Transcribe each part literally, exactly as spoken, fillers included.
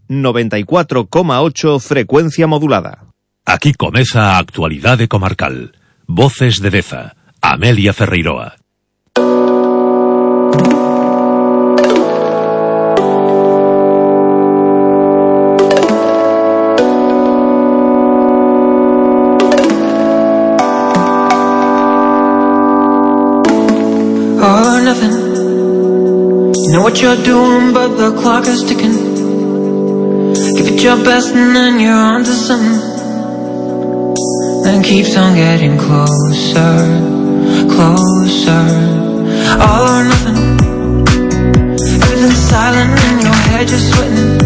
noventa y cuatro coma ocho frecuencia modulada. Aquí comeza a actualidade comarcal. Voces de Deza, Amelia Ferreiroa. All or nothing. You know what you're doing, but the clock is ticking. Give it your best and then you're on to something. Then keeps on getting closer, closer. All or nothing. Everything's silent in your head, you're sweating.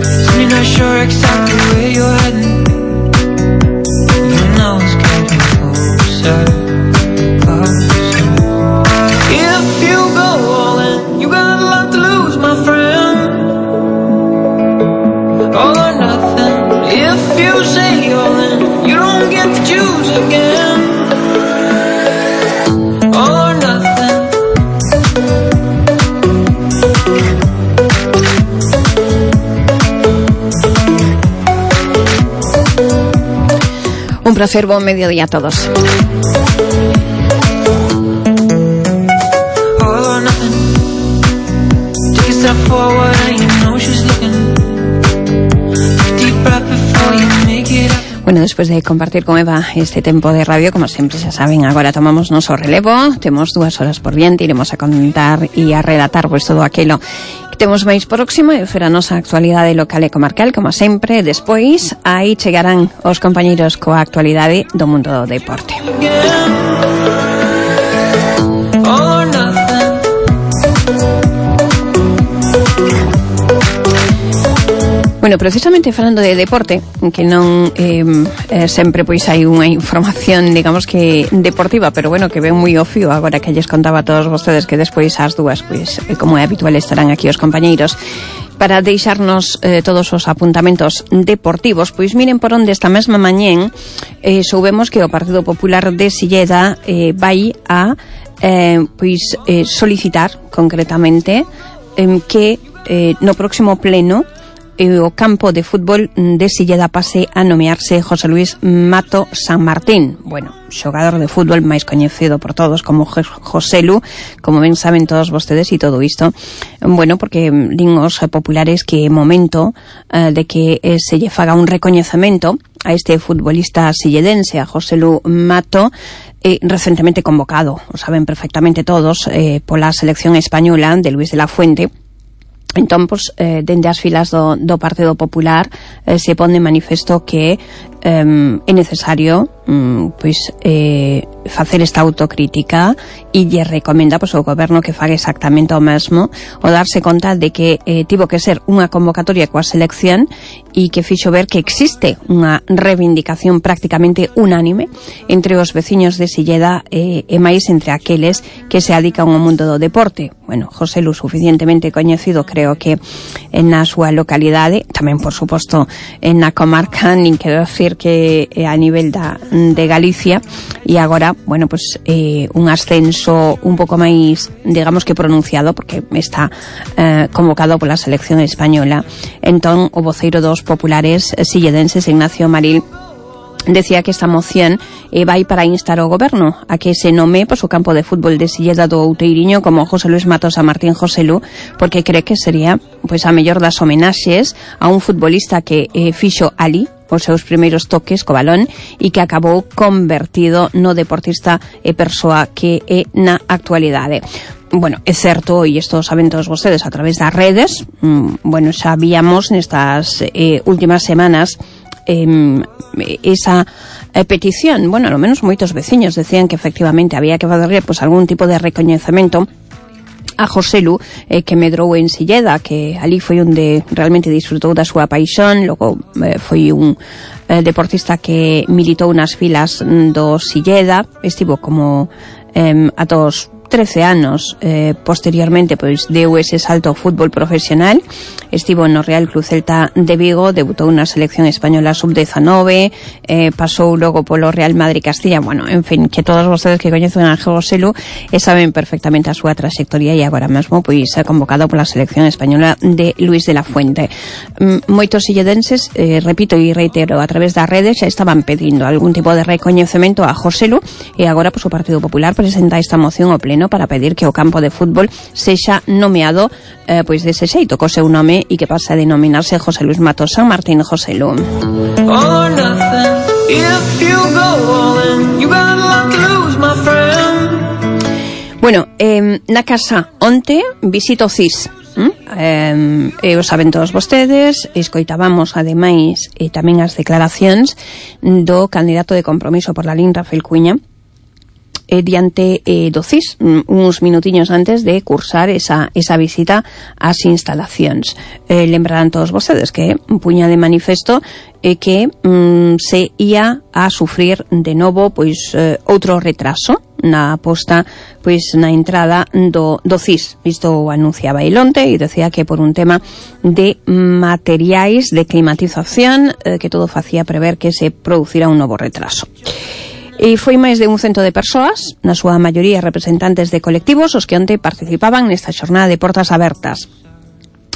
Soon you're not sure exactly where you're heading. You know it's getting closer, closer. If you go all in, you got a lot to lose, my friend. All or nothing. If you say all in, you don't get to choose again. All or nothing. Un placer, buen mediodía a todos. Bueno, despois de compartir con Eva este tempo de radio, como sempre xa saben, agora tomamos noso relevo. Temos dúas horas por diante, iremos a contar e a relatar pois todo aquilo que temos máis próximo e fer a nosa actualidade local e comarcal, como sempre. Despois, aí chegarán os compañeiros coa actualidade do mundo do deporte. Bueno, precisamente falando de deporte, que non eh, eh, sempre pois hai unha información, digamos que deportiva, pero bueno, que ven moi ao fío agora que lles contaba a todos vostedes que despois ás dúas, pois, como é habitual, estarán aquí os compañeiros para deixarnos eh, todos os apuntamentos deportivos. Pois miren por onde esta mesma mañén eh, soubemos que o Partido Popular de Silleda eh, vai a eh, pois eh, solicitar concretamente eh, que eh, no próximo pleno o campo de fútbol de Silleda pase a nomearse José Luis Mato San Martín. Bueno, xogador de fútbol máis coñecido por todos como Joselu, como ben saben todos vostedes, e todo isto, bueno, porque din os populares que é momento uh, de que eh, se lle faga un recoñecemento a este futbolista silledense, a Joselu Mato, eh, recentemente convocado, o saben perfectamente todos, eh, pola selección española de Luis de la Fuente. Entón, pois, eh, dende as filas do, do Partido Popular eh, se pone en manifesto que eh, é necesario mm, pois eh, facer esta autocrítica e lle recomenda pois, ao goberno que faga exactamente o mesmo, o darse conta de que eh, tivo que ser unha convocatoria coa selección e que fixo ver que existe unha reivindicación prácticamente unánime entre os veciños de Silleda eh, e máis entre aqueles que se adican ao mundo do deporte. Bueno, José Lu, suficientemente coñecido, creo que na súa localidade, tamén, por suposto, na comarca, nin quero decir que a nivel da, de Galicia, e agora, bueno, pues eh, un ascenso un pouco máis, digamos que pronunciado, porque está eh, convocado pola selección española. Entón, o voceiro dos populares silledenses, Ignacio Maril, decía que esta moción eh, vai para instar ao goberno a que se nome pois, o campo de fútbol de Silleda do Outeiriño como José Luis Mato San Martín Joselu, porque cree que sería pois a mellor das homenaxes a un futbolista que eh, fixo ali os seus primeiros toques co balón e que acabou convertido no deportista e persoa que é na actualidade. Bueno, é certo, e isto saben todos vostedes a través das redes, mmm, bueno, xa víamos nestas eh, últimas semanas Eh, esa eh, petición. Bueno, ao menos moitos veciños decían que efectivamente había que fazer pues, algún tipo de recoñecemento a Joselu, eh, que medrou en Silleda, que ali foi onde realmente disfrutou da súa paixón. Logo eh, foi un eh, deportista que militou nas filas do Silleda, estivo como eh, a todos trece anos. Eh, posteriormente, pois, deu ese salto ao fútbol profesional, estivo no Real Club Celta de Vigo, debutou na selección española sub dezanove, eh, pasou logo polo Real Madrid Castilla, bueno, en fin, que todos vostedes que coñecen a Joselu e saben perfectamente a súa trayectoria, e agora mesmo, pois, é convocado pola selección española de Luis de la Fuente. Mm, moitos illedenses, eh, repito e reitero, a través das redes xa estaban pedindo algún tipo de recoñecemento a Joselu, e agora, pois, o Partido Popular presenta esta moción ao pleno para pedir que o campo de fútbol sexa nomeado eh, pois dese xeito, co seu nome, e que pase a denominarse José Luis Matos San Martín Joselu. Bueno, eh, na casa onte visito C I S. ¿Mm? Eh, e o saben todos vostedes, escoitábamos ademais e tamén as declaracións do candidato de Compromiso por la Lin, Rafael Cuña, eh, diante eh, do C I S, uns minutiños antes de cursar esa, esa visita ás instalacións. Eh, lembrarán todos vostedes que puña de manifesto eh, que mm, se ia a sufrir de novo pois eh, outro retraso na aposta, pois na entrada do, do C I S. Isto o anunciaba el onte e decía que por un tema de materiais de climatización eh, que todo facía prever que se producira un novo retraso. E foi máis de un cento de persoas, na súa maioría representantes de colectivos, os que onte participaban nesta xornada de portas abertas,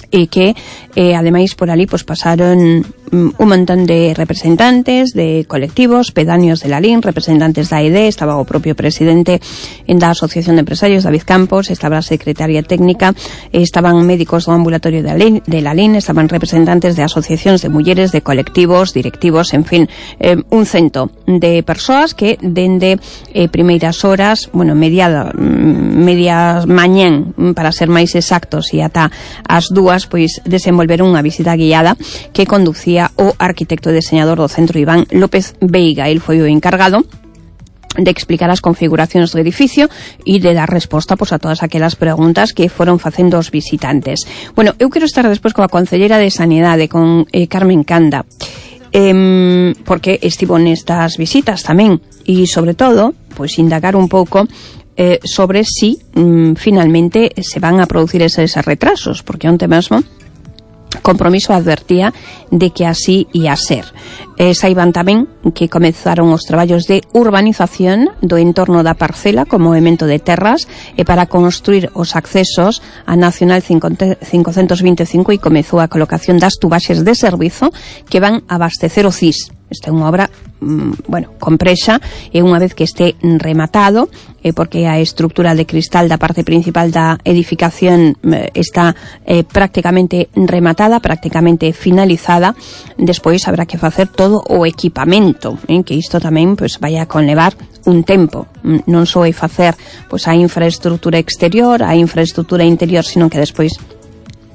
e que eh, ademais por ali pues, pasaron um, un montón de representantes de colectivos, pedáneos de la Lin, representantes da E D, estaba o propio presidente da Asociación de Empresarios, David Campos, estaba a secretaria técnica, estaban médicos do ambulatorio de la Lin, de la Lin, estaban representantes de asociacións de mulleres, de colectivos, directivos, en fin, eh, un cento de persoas que dende eh, primeiras horas, bueno, mediada, media mañán, para ser máis exactos, e ata as dúas, pois desenvolveron unha visita guiada que conducía o arquitecto e deseñador do centro Iván López Veiga. El foi o encargado de explicar as configuracións do edificio e de dar resposta pois, a todas aquelas preguntas que foron facendo os visitantes. Bueno, eu quero estar despois coa concelleira de Sanidade, con eh, Carmen Canda, eh, porque estivo nestas visitas tamén, e sobre todo, pois indagar un pouco Eh, sobre si mm, finalmente se van a producir eses retrasos, porque onte mesmo Compromiso advertía de que así ia ser. Eh, saiban tamén que comezaron os traballos de urbanización do entorno da parcela como movemento de terras e para construir os accesos a Nacional cincocentos vinte e cinco, e comezou a colocación das tubaxes de servizo que van abastecer o C I S. Esta é unha obra, mm, bueno, complexa, e unha vez que este rematado, eh, porque a estructura de cristal da parte principal da edificación eh, está eh, prácticamente rematada, prácticamente finalizada, despois habrá que facer todo o equipamento, eh, que isto tamén pois, vai a conlevar un tempo. Non só é facer pois, a infraestructura exterior, a infraestructura interior, sino que despois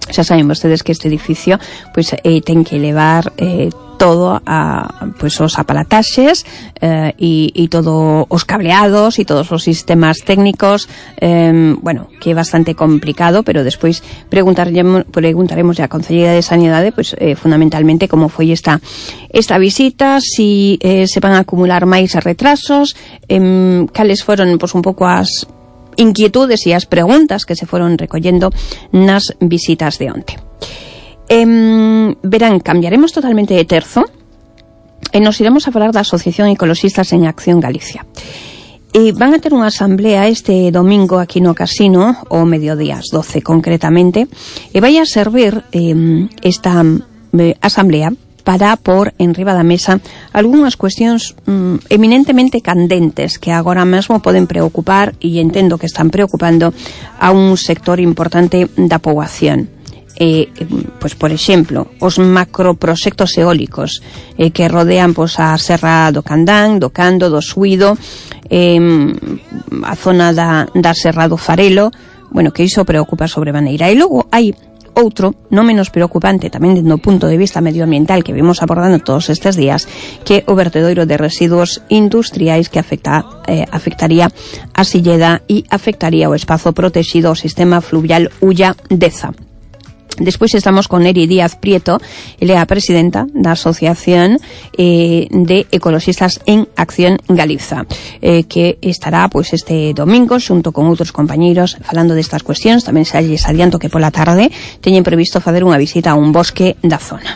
xa saben vostedes que este edificio pois, eh, ten que levar eh, todo a pois os aparataxes eh, e, e todo os cableados e todos os sistemas técnicos, eh, bueno, que é bastante complicado, pero despois preguntaremos preguntaremos a Conselleira de Sanidade pois eh, fundamentalmente como foi esta esta visita, si eh, se van a acumular máis retrasos, eh, cales foron pois un pouco as inquietudes e as preguntas que se foron recollendo nas visitas de onte. Eh, verán, cambiaremos totalmente de terzo e nos iremos a falar da Asociación Ecoloxistas en Acción Galicia. E van a ter unha asamblea este domingo aquí no casino, o mediodía ás doce concretamente, e vai a servir eh, esta eh, asamblea para pôr en riba da mesa algunhas cuestións mm, eminentemente candentes que agora mesmo poden preocupar, e entendo que están preocupando a un sector importante da poboación. Eh, pois, por exemplo, os macroproxectos eólicos eh, que rodean pois, a Serra do Candán, do Cando, do Suído, eh, a zona da, da Serra do Farelo, bueno, que iso preocupa sobremaneira. E logo hai outro, non menos preocupante tamén dentro do punto de vista medioambiental que vimos abordando todos estes días, que o vertedoiro de residuos industriais que afecta, eh, afectaría a Silleda e afectaría o espazo protegido ao sistema fluvial Ulla Deza. Despois estamos con Eri Díaz Prieto, ela é a presidenta da Asociación eh, de Ecologistas en Acción Galiza, eh, que estará pois este domingo xunto con outros compañeiros falando destas cuestións. Tamén se lles adianto que pola tarde teñen previsto facer unha visita a un bosque da zona.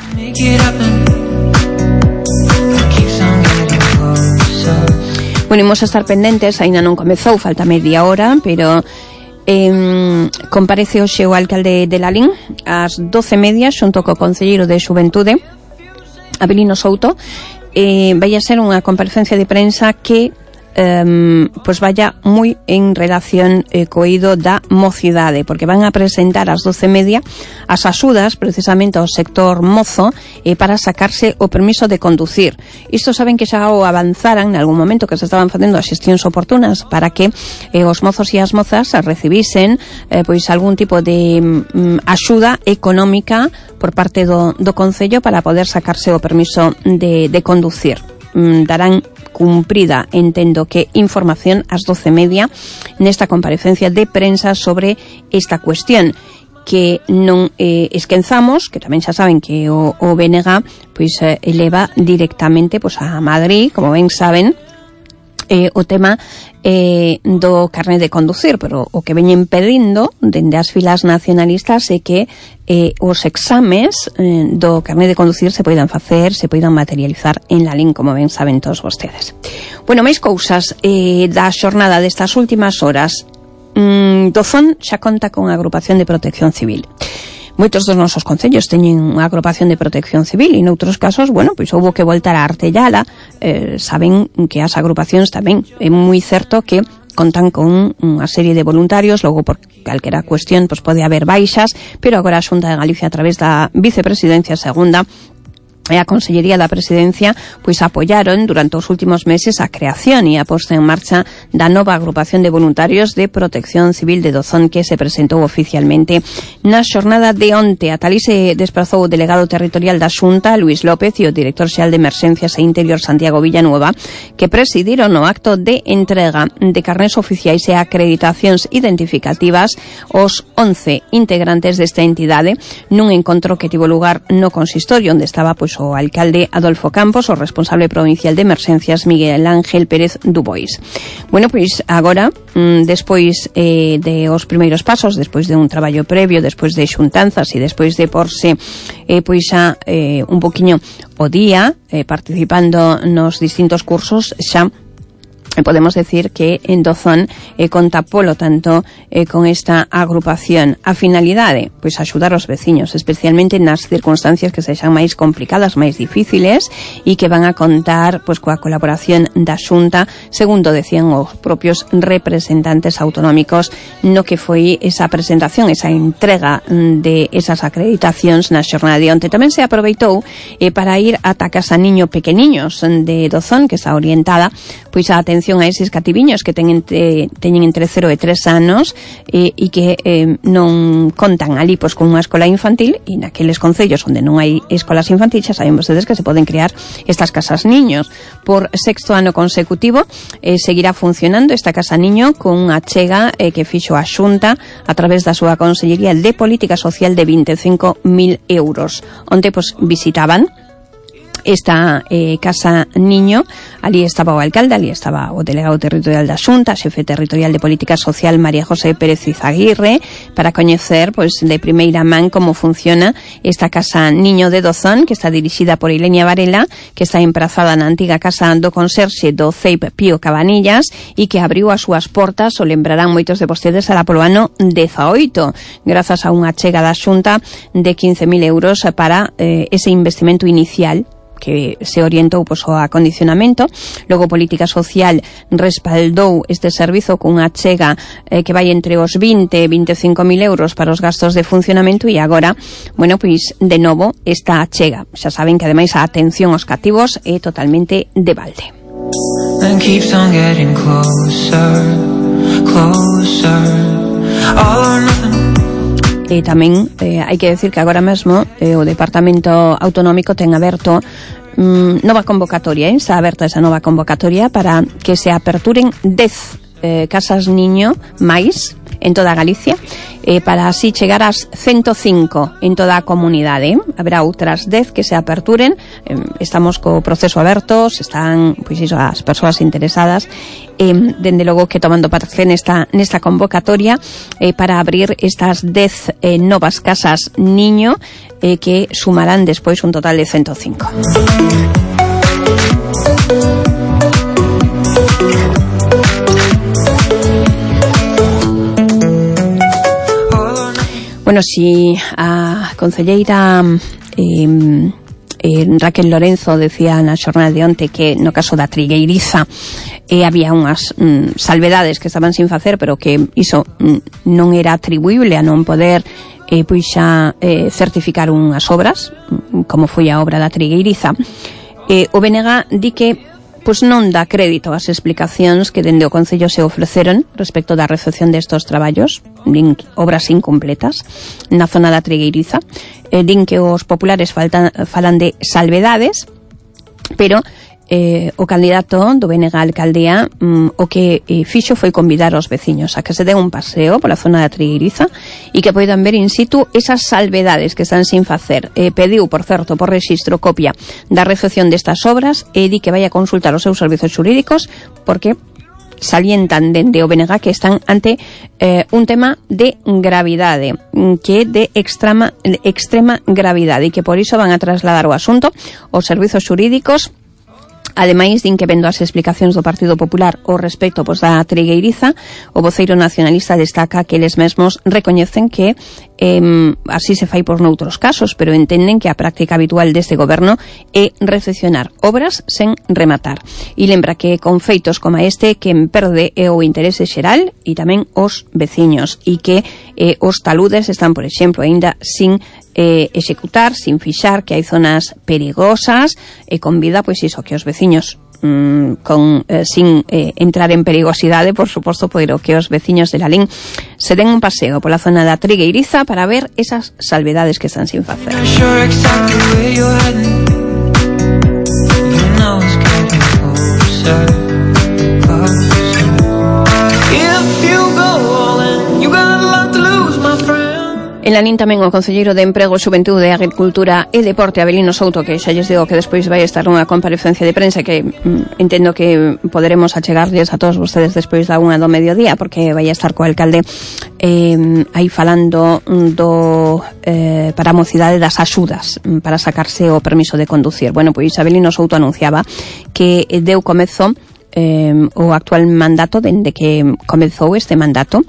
Bueno, imos a estar pendentes, aínda non comezou, falta media hora, pero Eh, comparece hoxe o alcalde de Lalín ás doce e media xunto co concelleiro de Xuventude, Abelino Souto. Eh, vai a ser unha comparecencia de prensa que Um, pois vaya moi en relación eh, co eido da mocidade, porque van a presentar ás doce e media as axudas precisamente ao sector mozo eh, para sacarse o permiso de conducir. Isto saben que xa o avanzaran en algún momento, que se estaban facendo as xestións oportunas para que eh, os mozos e as mozas recibisen eh, pois algún tipo de mm, axuda económica por parte do, do Concello para poder sacarse o permiso de, de conducir. Mm, darán cumprida, entendo que información ás doce e media nesta comparecencia de prensa sobre esta cuestión, que non eh, esquenzamos, que tamén xa saben que o, o B N G pois eh, eleva directamente pois a Madrid, como ben saben, eh, o tema eh, do carné de conducir, pero o que veñen pedindo dende as filas nacionalistas é que eh, os exames eh, do carné de conducir se poidan facer, se poidan materializar en Lalín, como ben saben todos vostedes. Bueno, máis cousas eh, da xornada destas últimas horas. Mm, Dozón xa conta con a agrupación de protección civil. Moitos dos nosos concellos teñen unha agrupación de protección civil e noutros casos, bueno, pois houbo que voltar a artellala. Eh, saben que as agrupacións tamén é moi certo que contan con unha serie de voluntarios, logo por calquera cuestión pois pode haber baixas, pero agora a Xunta de Galicia a través da Vicepresidencia Segunda e a Consellería da Presidencia pois apoiaron durante os últimos meses a creación e a posta en marcha da nova agrupación de voluntarios de protección civil de Dozón, que se presentou oficialmente na xornada de onte. A talí se desprazou o delegado territorial da Xunta, Luis López, e o director xeral de Emerxencias e Interior, Santiago Villanueva, que presidiron o acto de entrega de carnés oficiais e acreditacións identificativas aos once integrantes desta entidade nun encontro que tivo lugar no consistorio, onde estaba pois o alcalde Adolfo Campos, o responsable provincial de Emerxencias Miguel Ángel Pérez Dubois. Bueno, pois agora, mm, despois eh, de os primeiros pasos, despois de un traballo previo, despois de xuntanzas e despois de porse eh, pois xa eh, un poquiño o día eh, participando nos distintos cursos, xa podemos decir que en Dozón eh, conta polo tanto eh, con esta agrupación. A finalidade, pois axudar os veciños, especialmente nas circunstancias que sexan máis complicadas, máis difíciles, e que van a contar pois coa colaboración da Xunta, segundo decían os propios representantes autonómicos no que foi esa presentación, esa entrega de esas acreditacións na xornada de onte. Tamén se aproveitou eh, para ir ata Casa Niño Pequeniños de Dozón, que está orientada pois a atención a eses cativiños que teñen entre, teñen entre cero e tres anos e, e que eh, non contan ali pois con unha escola infantil, e naqueles concellos onde non hai escolas infantis xa saben vostedes que se poden crear estas casas niños. Por sexto ano consecutivo eh, seguirá funcionando esta casa niño con unha achega eh, que fixo a Xunta a través da súa Consellería de Política Social de vinte e cinco mil euros. Onte pois visitaban esta eh, Casa Niño, ali estaba o alcalde, ali estaba o delegado territorial da Xunta, xefe territorial de Política Social María José Pérez Izaguirre, para coñecer pois de primeira man como funciona esta Casa Niño de Dozón, que está dirixida por Ilenia Varela, que está emprazada na antiga casa do conserxe do C E I P Pío Cabanillas e que abriu as súas portas, o lembrarán moitos de vostedes, alá polo ano dezaoito, grazas a unha chega da Xunta de quince mil euros para eh, ese investimento inicial que se orientou pois, ao acondicionamento. Logo Política Social respaldou este servizo con unha chega eh, que vai entre os vinte e vinte e cinco mil euros para os gastos de funcionamento, e agora, bueno, pois de novo esta chega. Xa saben que ademais a atención aos cativos é totalmente de balde. And keeps on getting closer, closer, all or nothing. E tamén eh, hai que decir que agora mesmo eh, o Departamento Autonómico ten aberto mm, nova convocatoria, eh? Está aberta esa nova convocatoria para que se aperturen dez eh, casas niño máis en toda Galicia, eh, para así chegar ás ciento cinco en toda a comunidade. Haberá outras dez que se aperturen, eh, estamos co proceso aberto, se están, pois iso, as persoas interesadas, eh, dende logo que tomando parte nesta, nesta convocatoria eh, para abrir estas dez eh, novas casas niño eh, que sumarán despois un total de ciento cinco. Bueno, si a concelleira eh, eh, Raquel Lorenzo decía na xornada de onte que no caso da Trigueiriza eh, había unhas mm, salvedades que estaban sin facer, pero que iso mm, non era atribuible a non poder eh, pois xa eh, certificar unhas obras, como foi a obra da Trigueiriza. Eh, o B N G di que pois non dá crédito ás explicacións que dende o Concello se ofreceron respecto da recepción destos traballos, din obras incompletas na zona da Trigueiriza. Eh, din que os populares faltan, falan de salvedades, pero eh, o candidato do B N G a alcaldía mm, o que eh, fixo foi convidar aos veciños a que se den un paseo pola zona da Trigueiriza e que poidan ver in situ esas salvedades que están sin facer. Eh, pediu, por certo, por rexistro copia da recepción destas obras e di que vai a consultar os seus servizos xurídicos porque salientan dende o B N G que están ante eh, un tema de gravidade, que é de extrema, de extrema gravidade e que por iso van a trasladar o asunto aos servizos xurídicos. Ademais, din que vendo as explicacións do Partido Popular ao respecto pois, da Trigueiriza, o voceiro nacionalista destaca que eles mesmos recoñecen que eh, así se fai por noutros casos, pero entenden que a práctica habitual deste goberno é recepcionar obras sen rematar. E lembra que con feitos como este quen perde é o interese xeral e tamén os veciños e que eh, os taludes están, por exemplo, aínda sin eh, executar, sin fixar, que hai zonas perigosas e convida, pois iso, que os veciños mm, con, eh, sin eh, entrar en perigosidade, por suposto, pero que os veciños de Lalín se den un paseo pola zona da Trigueiriza para ver esas salvedades que están sin facer. En Lalín tamén o concelleiro de Emprego, Xuventude, Agricultura e Deporte, Avelino Souto, que xa lles digo que despois vai estar nunha comparecencia de prensa que mm, entendo que poderemos achegarlles a todos vostedes despois da unha do mediodía, porque vai estar co alcalde eh, aí falando do eh, para a mocidade das axudas para sacarse o permiso de conducir. Bueno, pois Avelino Souto anunciaba que deu comezo eh, o actual mandato, dende que comezou este mandato,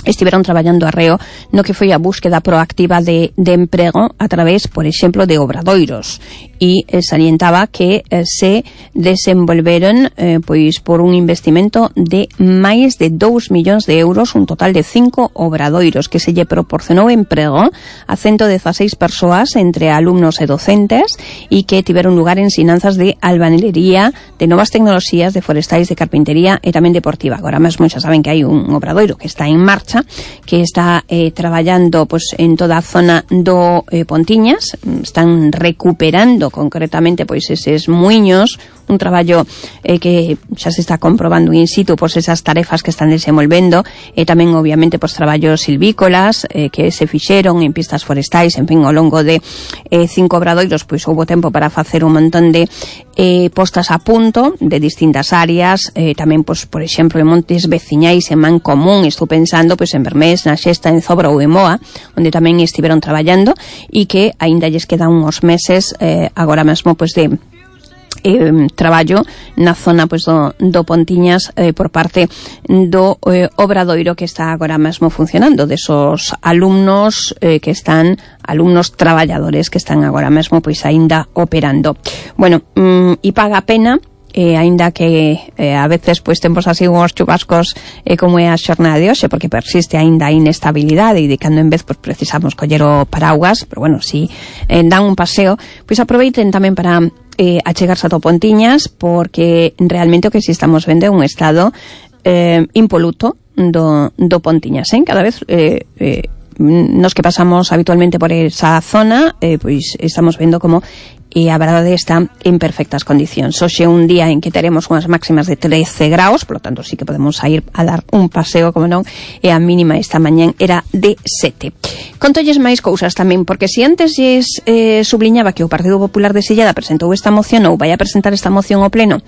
estiveron traballando arreo no que foi a búsqueda proactiva de, de emprego a través, por exemplo, de obradoiros e eh, salientaba que eh, se desenvolveron eh, pois por un investimento de máis de dous millóns de euros, un total de cinco obradoiros que se lle proporcionou emprego a ciento dezaseis persoas entre alumnos e docentes e que tiveron lugar en ensinanzas de albañilería, de novas tecnoloxías, de forestais, de carpintería e tamén deportiva. Agora mesmo xa saben que hai un obradoiro que está en marcha, que está eh, traballando pues, en toda a zona do eh, Pontiñas. Están recuperando concretamente pois eses muiños, un traballo eh, que xa se está comprobando in situ pois esas tarefas que están desenvolvendo e tamén obviamente pois traballos silvícolas eh, que se fixeron en pistas forestais, en fin, ao longo de eh, cinco obradoiros pois houbo tempo para facer un montón de eh, postas a punto de distintas áreas, eh, tamén pois por exemplo en montes veciñais en Mancomún, estou pensando pois en Bermés, na Xesta, en Zobra ou en Moa, onde tamén estiveron traballando e que aínda lles quedan uns meses eh, agora mesmo pois de Eh, traballo na zona pois, do, do Pontiñas eh, por parte do eh, obradoiro que está agora mesmo funcionando, desos alumnos eh, que están, alumnos traballadores que están agora mesmo pois aínda operando. Bueno, mm, e paga a pena, eh, aínda que eh, a veces pois temos así uns chubascos eh, como é a xornada de hoxe, porque persiste aínda a inestabilidade e de cando en vez pois, precisamos coller o paraugas, pero bueno, si eh, dan un paseo, pois aproveiten tamén para eh, achegarse a Pontiñas, porque realmente o que si estamos vendo é un estado eh, impoluto do, do Pontiñas, eh? Cada vez eh, eh, nos que pasamos habitualmente por esa zona, eh, pois estamos vendo como e a verdade está en perfectas condicións. Hoxe é un día en que teremos unhas máximas de trece graus, por lo tanto sí que podemos ir a dar un paseo, como non, e a mínima esta mañán era de sete. Contolles máis cousas tamén, porque se antes lles eh, subliñaba que o Partido Popular de Silleda presentou esta moción ou vai a presentar esta moción ao pleno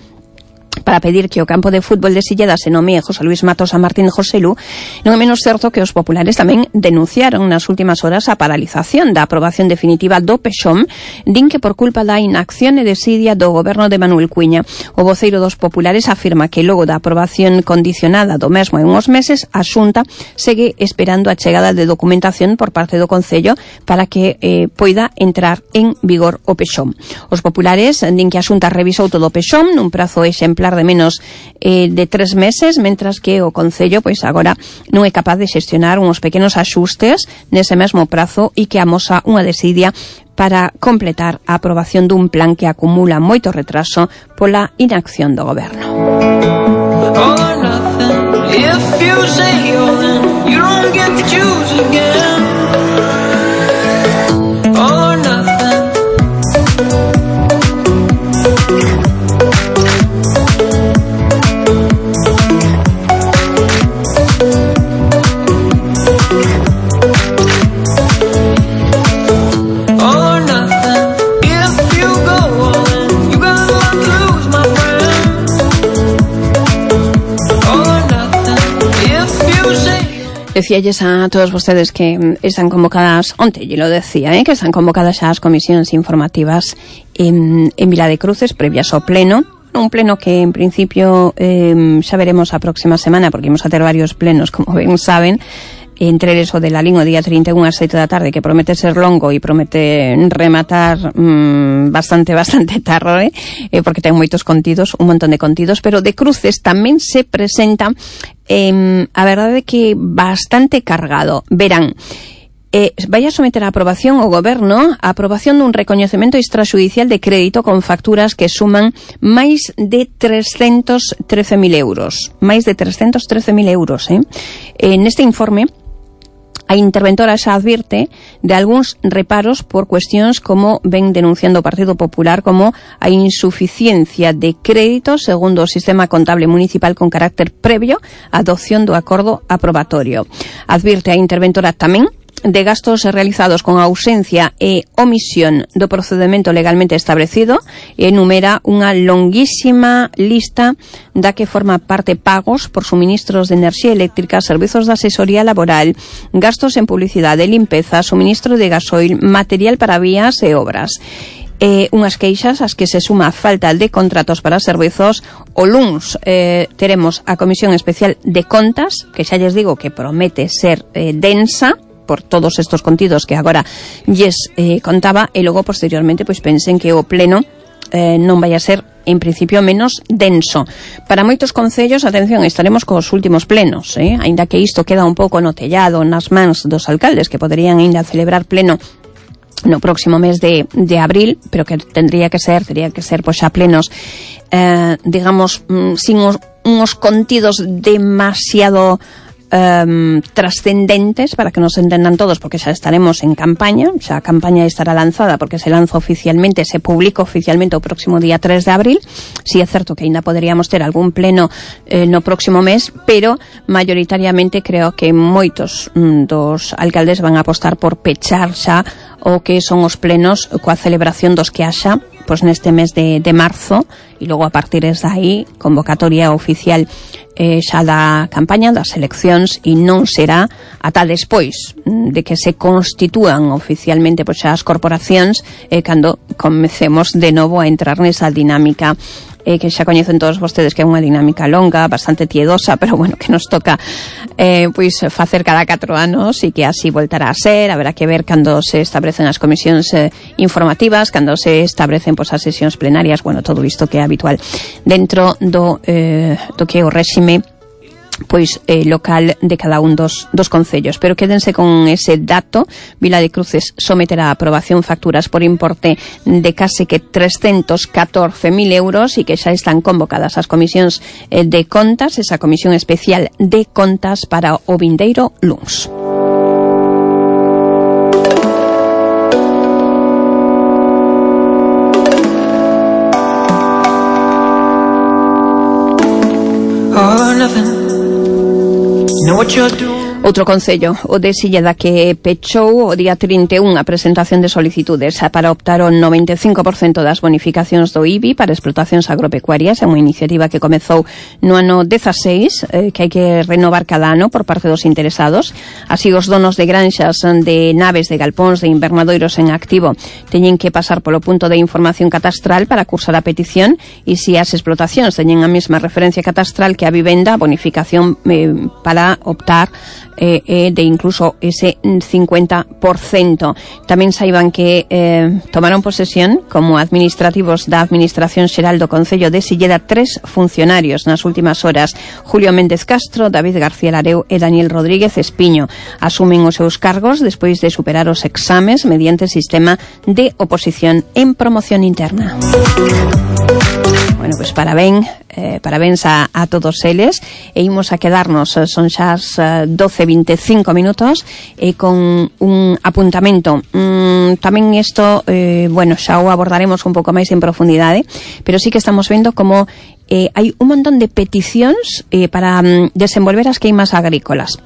para pedir que o campo de fútbol de Silleda se nomee José Luis Matos a Martín Joselu, non é menos certo que os populares tamén denunciaron nas últimas horas a paralización da aprobación definitiva do Pexón, din que por culpa da inacción e desidia do goberno de Manuel Cuiña. O voceiro dos populares afirma que logo da aprobación condicionada do mesmo en uns meses, a Xunta segue esperando a chegada de documentación por parte do Concello para que eh, poida entrar en vigor o Pexón. Os populares din que a Xunta revisou todo o Pexón nun prazo exemplar de menos eh, de tres meses, mentras que o Concello pois agora non é capaz de xestionar uns pequenos axustes nese mesmo prazo e que amosa unha desidia para completar a aprobación dun plan que acumula moito retraso pola inacción do goberno. Decíalles a todos vostedes que están convocadas, onte lle lo decía, eh, que están convocadas as comisións informativas en, en Vila de Cruces previas ao pleno, un pleno que en principio eh, xa veremos a próxima semana, porque imos a ter varios plenos, como ben saben, entre eles o de la Lín o día trinta e un ás sete da tarde, que promete ser longo e promete rematar mmm, bastante, bastante tarde, eh, porque ten moitos contidos, un montón de contidos, pero de Cruces tamén se presenta eh, a verdade que bastante cargado. Verán, Eh, vai a someter a aprobación o goberno a aprobación dun recoñecemento extrajudicial de crédito con facturas que suman máis de trescentos trece mil euros. Máis de trescentos trece mil euros, eh? eh neste informe, a interventora xa advirte de algúns reparos por cuestións como ven denunciando o Partido Popular, como a insuficiencia de crédito segundo o sistema contable municipal con carácter previo á adopción do acordo aprobatorio. Advirte a interventora tamén de gastos realizados con ausencia e omisión do procedemento legalmente establecido e enumera unha longuísima lista da que forma parte pagos por suministros de enerxía eléctrica, servizos de asesoría laboral, gastos en publicidade, limpeza, suministro de gasoil, material para vías e obras. Eh, unhas queixas as que se suma a falta de contratos para servizos. O luns eh, teremos a Comisión Especial de Contas, que xa lles digo que promete ser eh, densa por todos estos contidos que agora lles eh, contaba, e logo posteriormente pois pensen que o pleno eh, non vai a ser en principio menos denso. Para moitos concellos, atención, estaremos cos últimos plenos, eh? Aínda que isto queda un pouco no tellado nas mans dos alcaldes que poderían ainda celebrar pleno no próximo mes de, de abril, pero que tendría que ser, tendría que ser pois a plenos eh, digamos, mm, sin os, unos contidos demasiado Um, trascendentes, para que nos entendan todos, porque xa estaremos en campaña, xa a campaña estará lanzada porque se lanza oficialmente, se publica oficialmente o próximo día tres de abril. Si é certo que ainda poderíamos ter algún pleno eh, no próximo mes, pero mayoritariamente creo que moitos mm, dos alcaldes van a apostar por pechar xa o que son os plenos coa celebración dos que haxa pois neste mes de, de marzo, e logo a partir de aí convocatoria oficial eh, xa da campaña das eleccións, e non será ata despois de que se constitúan oficialmente pois xa as corporacións eh, cando comecemos de novo a entrar nesa dinámica eh, que xa coñecen todos vostedes, que é unha dinámica longa, bastante tiedosa, pero bueno, que nos toca eh, pois facer cada catro anos, e que así voltará a ser. Haberá que ver cando se establecen as comisións eh, informativas, cando se establecen pois as sesións plenarias, bueno, todo isto que é habitual dentro do, eh, do que é o réxime pois eh, local de cada un dos, dos concellos. Pero quédense con ese dato: Vila de Cruces someterá a aprobación facturas por importe de case que trescentos catorce mil euros, e que xa están convocadas as comisións eh, de contas, esa comisión especial de contas para o vindeiro luns. nothing. Know what you're doing. Outro concello, o de Silleda, que pechou o día trinta e un a presentación de solicitudes para optar o noventa e cinco por cento das bonificacións do I B I para explotacións agropecuarias. É unha iniciativa que comezou no ano dezaseis, eh, que hai que renovar cada ano por parte dos interesados. Así, os donos de granxas, de naves, de galpóns, de invernadoiros en activo teñen que pasar polo punto de información catastral para cursar a petición, e se as explotacións teñen a mesma referencia catastral que a vivenda, a bonificación eh, para optar Eh, eh, de incluso ese cincuenta por cento. Tamén saiban que eh, tomaron posesión como administrativos da Administración Xeral do Concello de Silleda tres funcionarios nas últimas horas: Julio Méndez Castro, David García Lareu e Daniel Rodríguez Espiño. Asumen os seus cargos despois de superar os exames mediante sistema de oposición en promoción interna. Bueno, pues parabén, eh, parabéns a, a todos eles, e imos a quedarnos, son xa as doce e vinte e cinco minutos, e con un apuntamento. Mm, tamén isto, eh, bueno, xa o abordaremos un pouco máis en profundidade, pero sí que estamos vendo como eh, hai un montón de peticións eh, para mm, desenvolver as queimas agrícolas.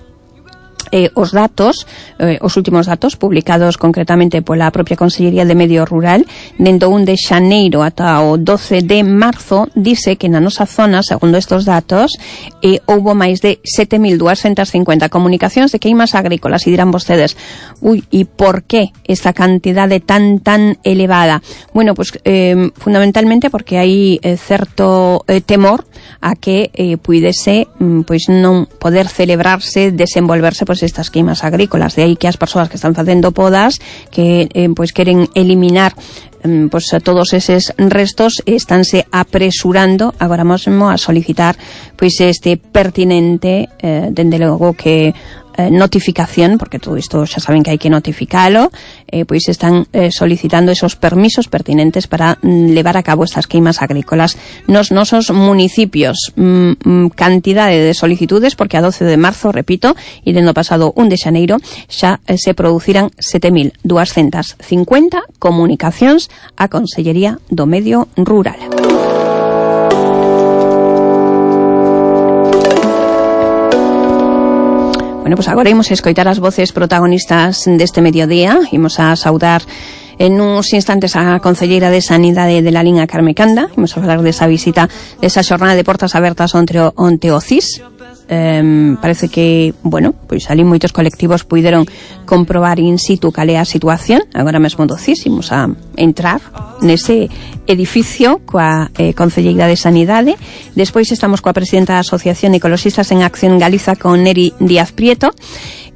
Eh, os datos, eh, os últimos datos publicados concretamente pola propia Consellería de Medio Rural, dende o un de xaneiro ata o doce de marzo, dice que na nosa zona, segundo estos datos, eh, houbo máis de sete mil duascentas cincuenta comunicacións de queimas agrícolas. E dirán vostedes, ui, e por que esta cantidade tan, tan elevada? Bueno, pues eh, fundamentalmente porque hai eh, certo eh, temor a que eh, puidese mm, pois non poder celebrarse, desenvolverse pois estas queimas agrícolas. De aí que as persoas que están facendo podas, que eh, pois queren eliminar eh, pois todos eses restos, estánse apresurando agora mesmo a solicitar pois este pertinente, eh, dende logo que Eh, notificación, porque todo isto xa saben que hai que notificalo, eh, pois están eh, solicitando esos permisos pertinentes para mm, levar a cabo estas queimas agrícolas nos nosos municipios. Mm, mm, cantidade de solicitudes, porque a doce de marzo, repito, e dendo pasado un de xaneiro, xa eh, se produciran sete mil duascentas cincuenta comunicacións á Consellería do Medio Rural. Bueno, pues agora imos a escoitar as voces protagonistas deste mediodía. Imos a saudar en uns instantes a concelleira de Sanidade de la Liña, Carme Canda. Imos a falar desa visita, desa xornada de portas abertas onte o, onte o C I S. Um, parece que, bueno, pois ali moitos colectivos puideron comprobar in situ cal é a situación agora mesmo do C I S. Imos a entrar nese edificio coa eh, Concelleira de Sanidade. Despois estamos coa presidenta da Asociación Ecologistas en Acción Galiza, con Neri Díaz Prieto.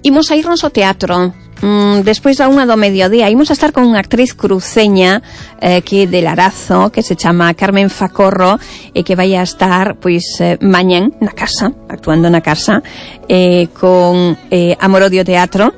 Imos a irnos ao teatro. Mm, despois da unha do mediodía imos a estar con unha actriz cruceña eh, que de Larazo, que se chama Carmen Facorro, e que vai a estar pois eh, mañán na casa, actuando na casa, eh, con eh, Amorodio Teatro,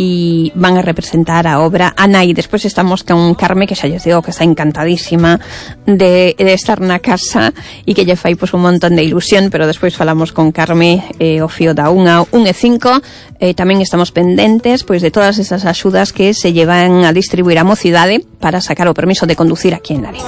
e van a representar a obra Ana. E despois estamos con Carme, que xa lles digo que está encantadísima de, de estar na casa e que lle fai pois un montón de ilusión. Pero despois falamos con Carme eh, o fío da unha, un e cinco. Eh, tamén estamos pendentes pois de todas esas axudas que se llevan a distribuir a mocidade para sacar o permiso de conducir aquí en Lari.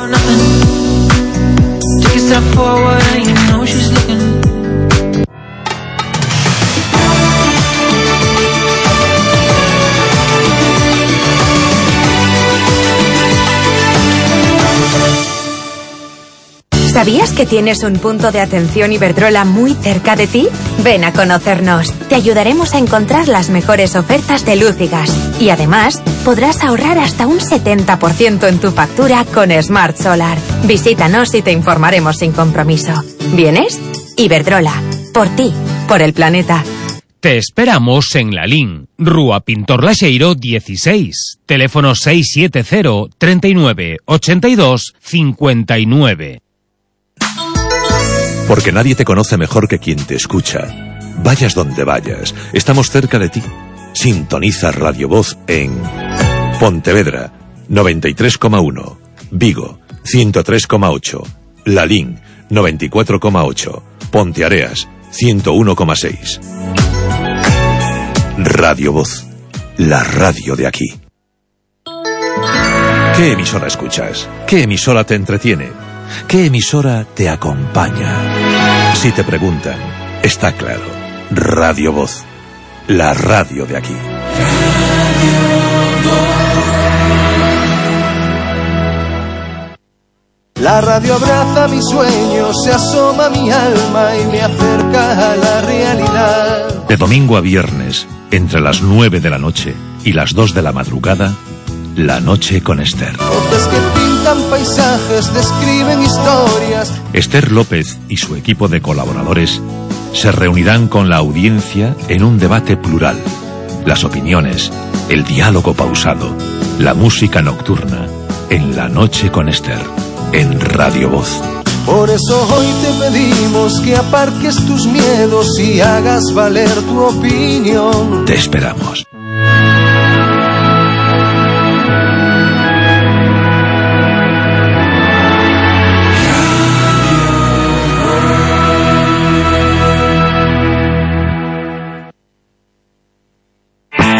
¿Sabías que tienes un punto de atención Iberdrola muy cerca de ti? Ven a conocernos. Te ayudaremos a encontrar las mejores ofertas de luz y gas. Y además, podrás ahorrar hasta un setenta por ciento en tu factura con Smart Solar. Visítanos y te informaremos sin compromiso. ¿Vienes? Iberdrola. Por ti. Por el planeta. Te esperamos en Lalín, Rúa Pintor Laxeiro dieciséis, teléfono seis siete cero, treinta y nueve, ochenta y dos, cincuenta y nueve. Porque nadie te conoce mejor que quien te escucha. Vayas donde vayas, estamos cerca de ti. Sintoniza Radio Voz en Pontevedra, noventa y tres coma uno, Vigo, ciento tres coma ocho, Lalín, noventa y cuatro coma ocho, Ponteareas, ciento uno coma seis. Radio Voz, la radio de aquí. ¿Qué emisora escuchas? ¿Qué emisora te entretiene? ¿Qué emisora te acompaña? Si te preguntan, Está claro. Radio Voz. La radio de aquí. La radio abraza mis sueños, se asoma a mi alma y me acerca a la realidad. De domingo a viernes, entre las nueve de la noche y las dos de la madrugada, La Noche con Esther. Voces que pintan paisajes, describen historias. Esther López y su equipo de colaboradores se reunirán con la audiencia en un debate plural. Las opiniones, el diálogo pausado, la música nocturna, en La Noche con Esther, en Radio Voz. Por eso hoy te pedimos que aparques tus miedos y hagas valer tu opinión. Te esperamos.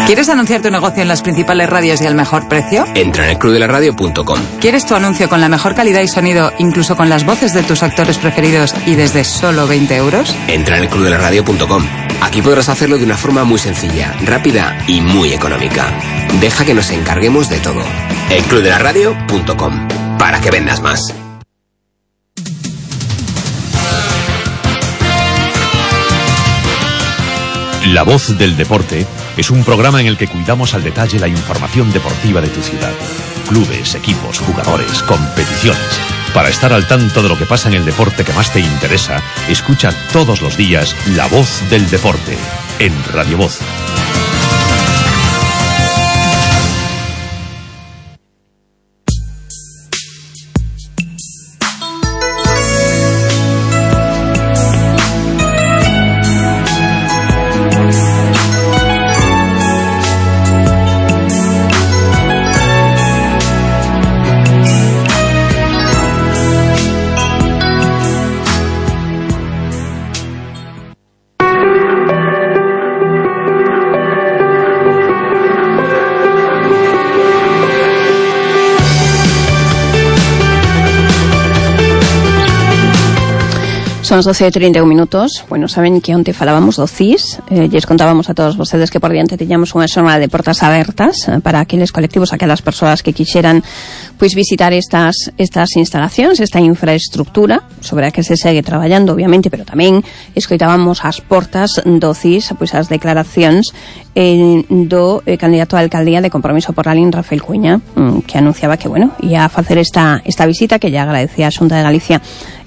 ¿Quieres anunciar tu negocio en las principales radios y al mejor precio? Entra en el club de la radio punto com. ¿Quieres tu anuncio con la mejor calidad y sonido, incluso con las voces de tus actores preferidos y desde solo veinte euros? Entra en el club de la radio punto com. Aquí podrás hacerlo de una forma muy sencilla, rápida y muy económica. Deja que nos encarguemos de todo. el club de la radio punto com. Para que vendas más. La Voz del Deporte es un programa en el que cuidamos al detalle la información deportiva de tu ciudad. Clubes, equipos, jugadores, competiciones. Para estar al tanto de lo que pasa en el deporte que más te interesa, escucha todos los días La Voz del Deporte en Radio Voz. Son as doce e trinta e un minutos. Bueno, saben que onte falábamos do C I S, eh, lles contábamos a todos vostedes que por diante tiñamos unha xornada de portas abertas eh, para aqueles colectivos, aquelas persoas que quixeran pois visitar estas estas instalacións, esta infraestructura sobre a que se segue traballando, obviamente, pero tamén escoitábamos as portas do C I S, pois as declaracións eh, do eh, candidato a alcaldía de Compromiso por la Lin, Rafael Cuña, mm, que anunciaba que, bueno, ia a facer esta esta visita, que lle agradecía a Xunta de Galicia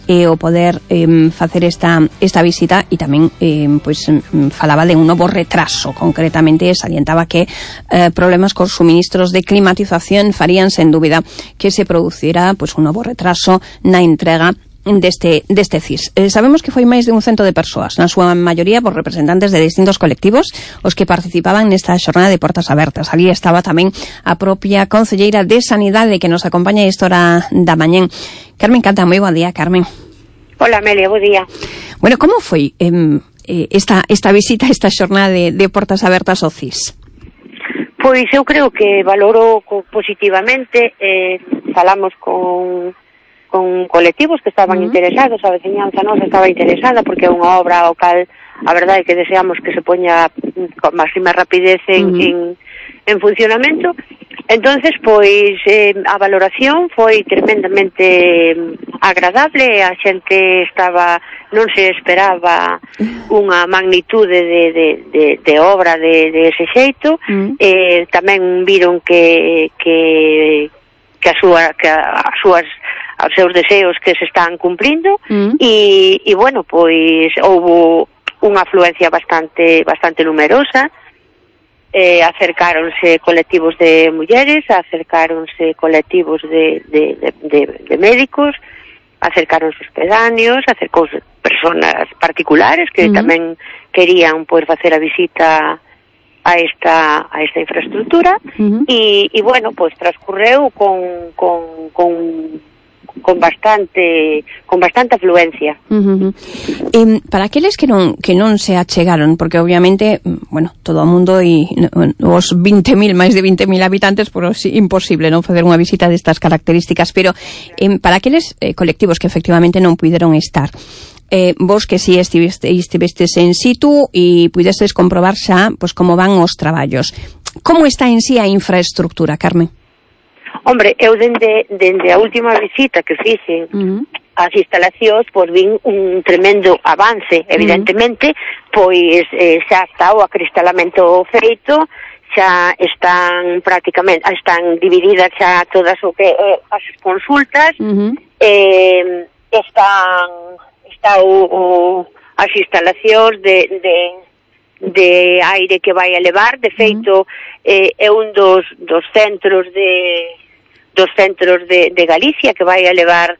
e o poder eh, facer esta esta visita, e tamén eh, pois falaba de un novo retraso. Concretamente salientaba que eh, problemas cos suministros de climatización farían sen dúbida que se producira pois un novo retraso na entrega deste, deste C I S. Eh, sabemos que foi máis de un cento de persoas, na súa maioría por representantes de distintos colectivos, os que participaban nesta xornada de portas abertas. Ali estaba tamén a propia concelleira de Sanidade, que nos acompaña a esta hora da mañén. Carmen Canta, moi bo día, Carmen. Hola, Amelia, bo día. Bueno, como foi eh, esta, esta visita, esta xornada de, de portas abertas ao C I S? Pois eu creo que valoro positivamente, eh, falamos con con colectivos que estaban uh-huh. interesados, a veciñanza nosa estaba interesada, porque é unha obra ao cal a verdade é que deseamos que se poña con máxima rapidez en, uh-huh. en, en funcionamento. Entonces, pois, eh, a valoración foi tremendamente agradable, a xente estaba, non se esperaba unha magnitude de, de, de, de obra de, de ese xeito, uh-huh. eh, tamén viron que, que, que, a súa, que a, as súas aos seus deseos que se están cumprindo mm. e, e bueno, pois houbo unha afluencia bastante bastante numerosa, eh, acercáronse colectivos de mulleres, acercáronse colectivos de, de, de, de, de médicos, acercáronse os pedáneos, acercouse personas particulares que mm. tamén querían pois facer a visita a esta a esta infraestructura uh-huh. e, e bueno, pois transcurreu con con, con con bastante con bastante afluencia. Uh-huh. E para aqueles que non que non se achegaron, porque obviamente, bueno, todo o mundo e os vinte mil, máis de vinte mil habitantes, por si, imposible non facer unha visita destas características, pero eh, para aqueles eh, colectivos que efectivamente non puideron estar, eh, vos que si estiveste, estivestes en situ e pudestes comprobar xa pois, como van os traballos. Como está en sí a infraestructura, Carmen? Hombre, eu dende, dende a última visita que fixen uh-huh. as instalacións, pois vin un tremendo avance, evidentemente, uh-huh. pois eh, xa está o acristalamento feito, xa están prácticamente, están divididas xa todas o que eh, as consultas, uh-huh. eh, están está o, o as instalacións de, de de aire que vai a levar, de feito uh-huh. eh, é un dos dos centros de dos centros de, de Galicia que vai a levar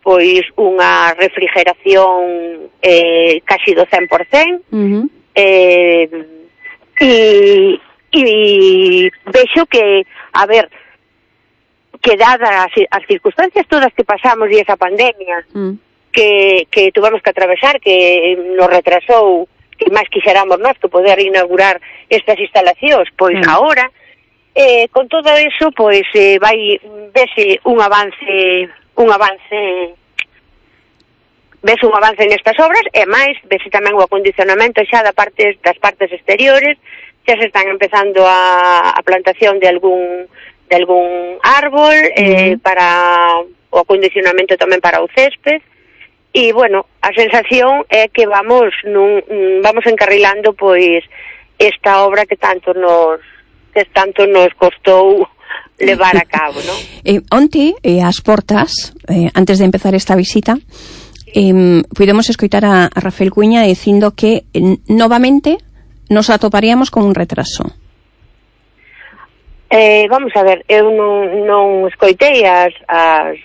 pois unha refrigeración eh, casi do cen por cen uh-huh. eh, e e vexo que, a ver, que dadas as, as circunstancias todas que pasamos e esa pandemia mm. que, que tuvamos que atravesar, que nos retrasou, que máis quixéramos nós que poder inaugurar estas instalacións, pois mm. agora, eh, con todo eso, pois eh, vai vese un avance, un avance, vese un avance nestas obras, e máis, vese tamén o acondicionamento xa da parte, das partes exteriores. Xa se están empezando a, a plantación de algún de algún árbol eh, uh-huh. para o acondicionamento tamén para o césped e, bueno, a sensación é que vamos nun, vamos encarrilando pois esta obra que tanto nos que tanto nos costou levar a cabo, non? Eh, onte, eh, ás portas, eh, antes de empezar esta visita, eh, pudemos escoitar a, a Rafael Cuíña dicindo que eh, novamente nos atoparíamos con un retraso. Eh, vamos a ver, eu non, non escoitei as, as,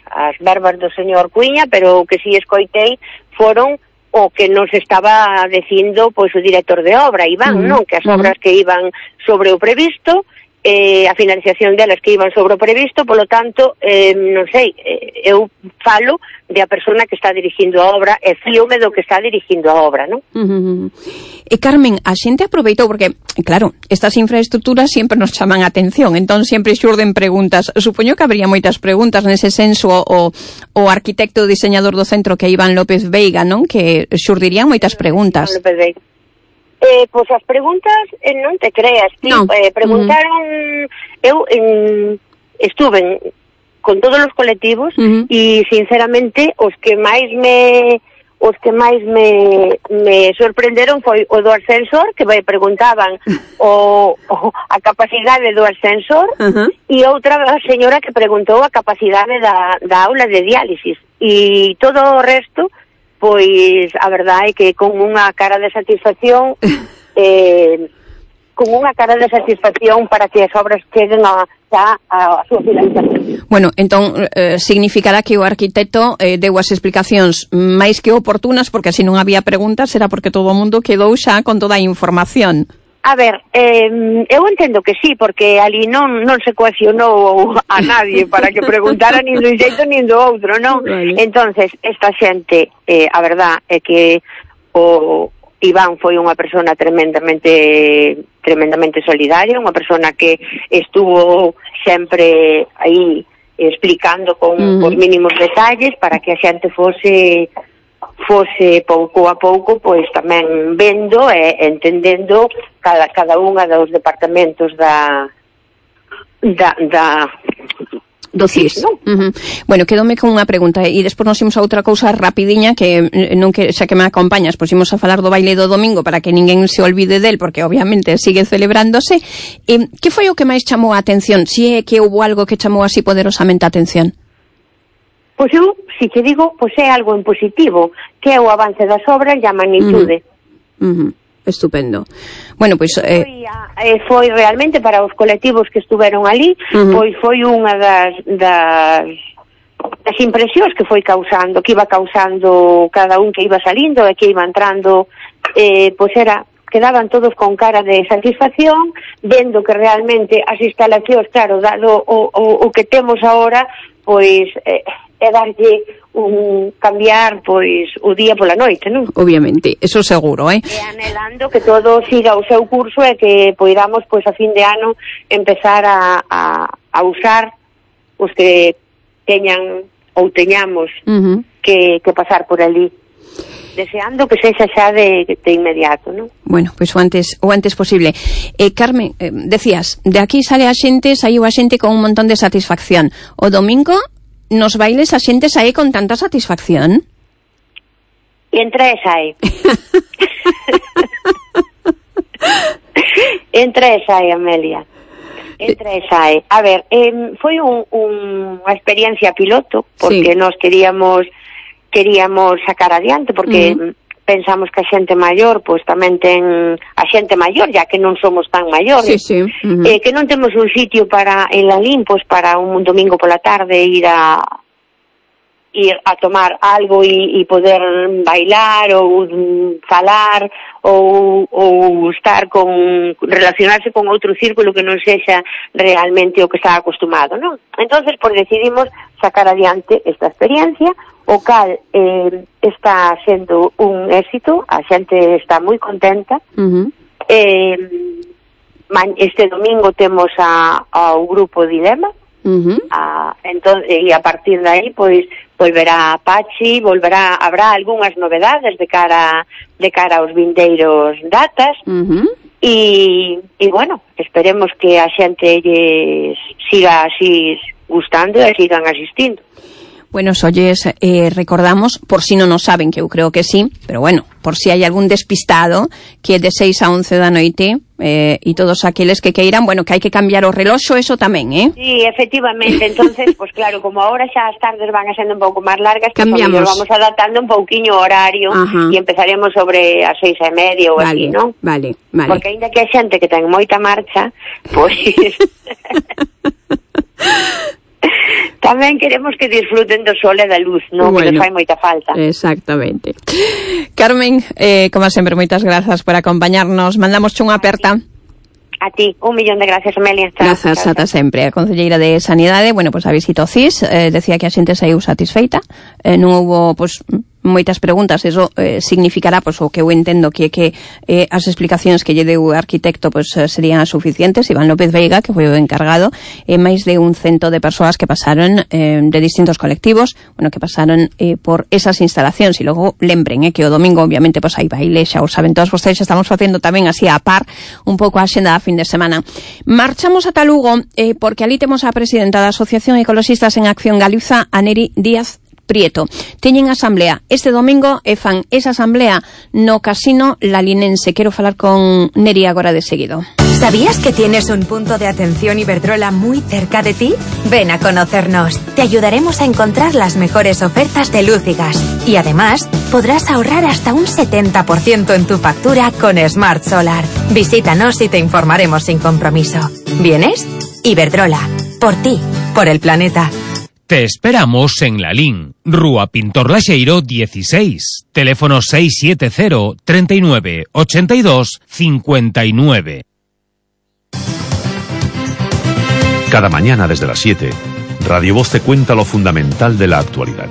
as verbas do señor Cuíña, pero o que si escoitei foron o que nos estaba dicindo pois o director de obra, Iván, uh-huh. non? Que as obras uh-huh. que iban sobre o previsto, eh, a finalización delas que iban sobre o previsto, polo tanto, eh, non sei, eh, eu falo de a persona que está dirigindo a obra e fíome do que está dirigindo a obra, non? Uh-huh. E Carmen, a xente aproveitou porque, claro, estas infraestructuras sempre nos chaman a atención, entón sempre xurden preguntas. Supoño que habría moitas preguntas nese senso o, o arquitecto diseñador do centro que é Iván López Veiga, non? Que xurdirían moitas preguntas. Iván López Veiga. Eh, pois as preguntas eh, non te creas, tí, no. eh, preguntaron uh-huh. eu en, estuve con todos os colectivos uh-huh. e sinceramente os que máis me os que máis me, me sorprenderon foi o do ascensor, que me preguntaban o, o a capacidade do ascensor uh-huh. e outra señora que preguntou a capacidade da, da aula de diálisis e todo o resto pois a verdade é que con unha cara de satisfacción eh, con unha cara de satisfacción para que as obras cheguen a, a, a súa finalización. Bueno, entón eh, significará que o arquitecto eh, deu as explicacións máis que oportunas, porque se non había preguntas era porque todo o mundo quedou xa con toda a información. A ver, eh, eu entendo que sí, porque ali non non se coaccionou a nadie para que preguntara nin do xeito nin do outro, non? Vale. Entonces, esta xente, eh, a verdad é que o Iván foi unha persona tremendamente tremendamente solidaria, unha persona que estuvo sempre aí explicando con uh-huh. os mínimos detalles para que a xente fose fose pouco a pouco pois tamén vendo e entendendo cada, cada unha dos departamentos da da, da do C I S, non? Uh-huh. Bueno, quedome con unha pregunta e despois nos imos a outra cousa rapidiña que non que xa que me acompañas, pois imos a falar do baile do domingo para que ninguén se olvide del, porque obviamente sigue celebrándose. Eh, que foi o que máis chamou a atención? Si é que houbo algo que chamou así poderosamente a atención? Pois eu, si te digo, pois é algo en positivo, que é o avance das obras e a magnitude. Uh-huh. Uh-huh. Estupendo. Bueno, pois... Eh... Foi, eh, foi realmente para os colectivos que estuveron ali, uh-huh. pois foi unha das, das, das impresións que foi causando, que iba causando cada un que iba salindo e que iba entrando, eh, pois era... quedaban todos con cara de satisfacción, vendo que realmente as instalacións, claro, dado o, o, o que temos agora, pois... Eh, é darlle un cambiar pois o día pola noite, non? Obviamente, eso seguro, eh? E anhelando que todo siga o seu curso e que poidamos pois a fin de ano empezar a, a, a usar os que teñan ou teñamos uh-huh. que, que pasar por ali. deseando que sexa xa de, de inmediato, non? Bueno, pois o antes o antes posible. Eh, Carmen, eh, decías, de aquí sale a xente, saiu a xente con un montón de satisfacción. O domingo nos bailes a xente sae con tanta satisfacción? E entre e sae. Entre e sae, Amelia. Entre e sae. A ver, eh, foi un, un, unha experiencia piloto, porque sí. Nos queríamos queríamos sacar adiante, porque uh-huh. Pensamos que a xente maior, pois tamén ten a xente maior, ya que non somos tan maiores, sí, sí. Uh-huh. eh, que non temos un sitio para en Lalín, pois para un domingo pola tarde ir a ir a tomar algo e, e poder bailar ou falar ou, ou estar con relacionarse con outro círculo que non sexa realmente o que está acostumado, non? Entonces, pois decidimos sacar adiante esta experiencia, o cal eh, está sendo un éxito, a xente está moi contenta. Uh-huh. eh, este domingo temos a, ao grupo Dilema. Uh-huh. A, entón, e a partir de aí pois volverá Pachi, volverá, habrá algunhas novedades de cara de cara aos vindeiros datas. Uh-huh. e, e bueno, esperemos que a xente lles siga así gustando e sigan asistindo. Bueno, olles, eh, recordamos, por si non o saben, que eu creo que sí, pero bueno, por si hai algún despistado, que de seis a once da noite, eh, e todos aqueles que queiran, bueno, que hai que cambiar o reloxo, eso tamén, eh? Sí, efectivamente, entonces, pues claro, como ahora xa as tardes van a sendo un pouco máis largas, cambiamos, pues, vamos adaptando un pouquiño o horario, e empezaremos sobre as seis e media ou vale, así, non? Vale, vale. Porque ainda que hai xente que ten moita marcha, pois... tamén queremos que disfruten do sol e da luz, non? Bueno, que nos fai moita falta. Exactamente. Carmen, eh, como sempre, moitas grazas por acompañarnos. Mandamos unha aperta. A ti, un millón de gracias, Amelia. Grazas ata sempre. A concelleira de Sanidade, bueno, pues a visita ao C I S, eh, decía que a xente saiu satisfeita, eh, non houbo, pues, moitas preguntas, eso eh, significará, pois, o que eu entendo que que eh, as explicacións que lle deu o arquitecto pois eh, serían suficientes. Iván López Veiga, que foi o encargado, e eh, máis de un cento de persoas que pasaron eh, de distintos colectivos, bueno, que pasaron eh, por esas instalacións. E logo lembren eh, que o domingo, obviamente, pois hai baile, xa o saben todos vostedes, estamos facendo tamén así a par un pouco a xenda da fin de semana. Marchamos ata Lugo, eh, porque ali temos a presidenta da Asociación Ecoloxistas en Acción Galiza, a Neri Díaz Prieto. Teñen asamblea este domingo e fan esa asamblea no Casino Lalinense. Quero falar con Neri agora de seguido. ¿Sabías que tienes un punto de atención Iberdrola muy cerca de ti? Ven a conocernos. Te ayudaremos a encontrar las mejores ofertas de luz y gas. Y además, podrás ahorrar hasta un setenta por ciento en tu factura con Smart Solar. Visítanos y te informaremos sin compromiso. ¿Vienes? Iberdrola. Por ti. Por el planeta. Te esperamos en Lalín, Rúa Pintor Laxeiro dieciséis, teléfono seis siete cero, treinta y nueve, ochenta y dos, cincuenta y nueve. Cada mañana desde las siete, Radio Voz te cuenta lo fundamental de la actualidad.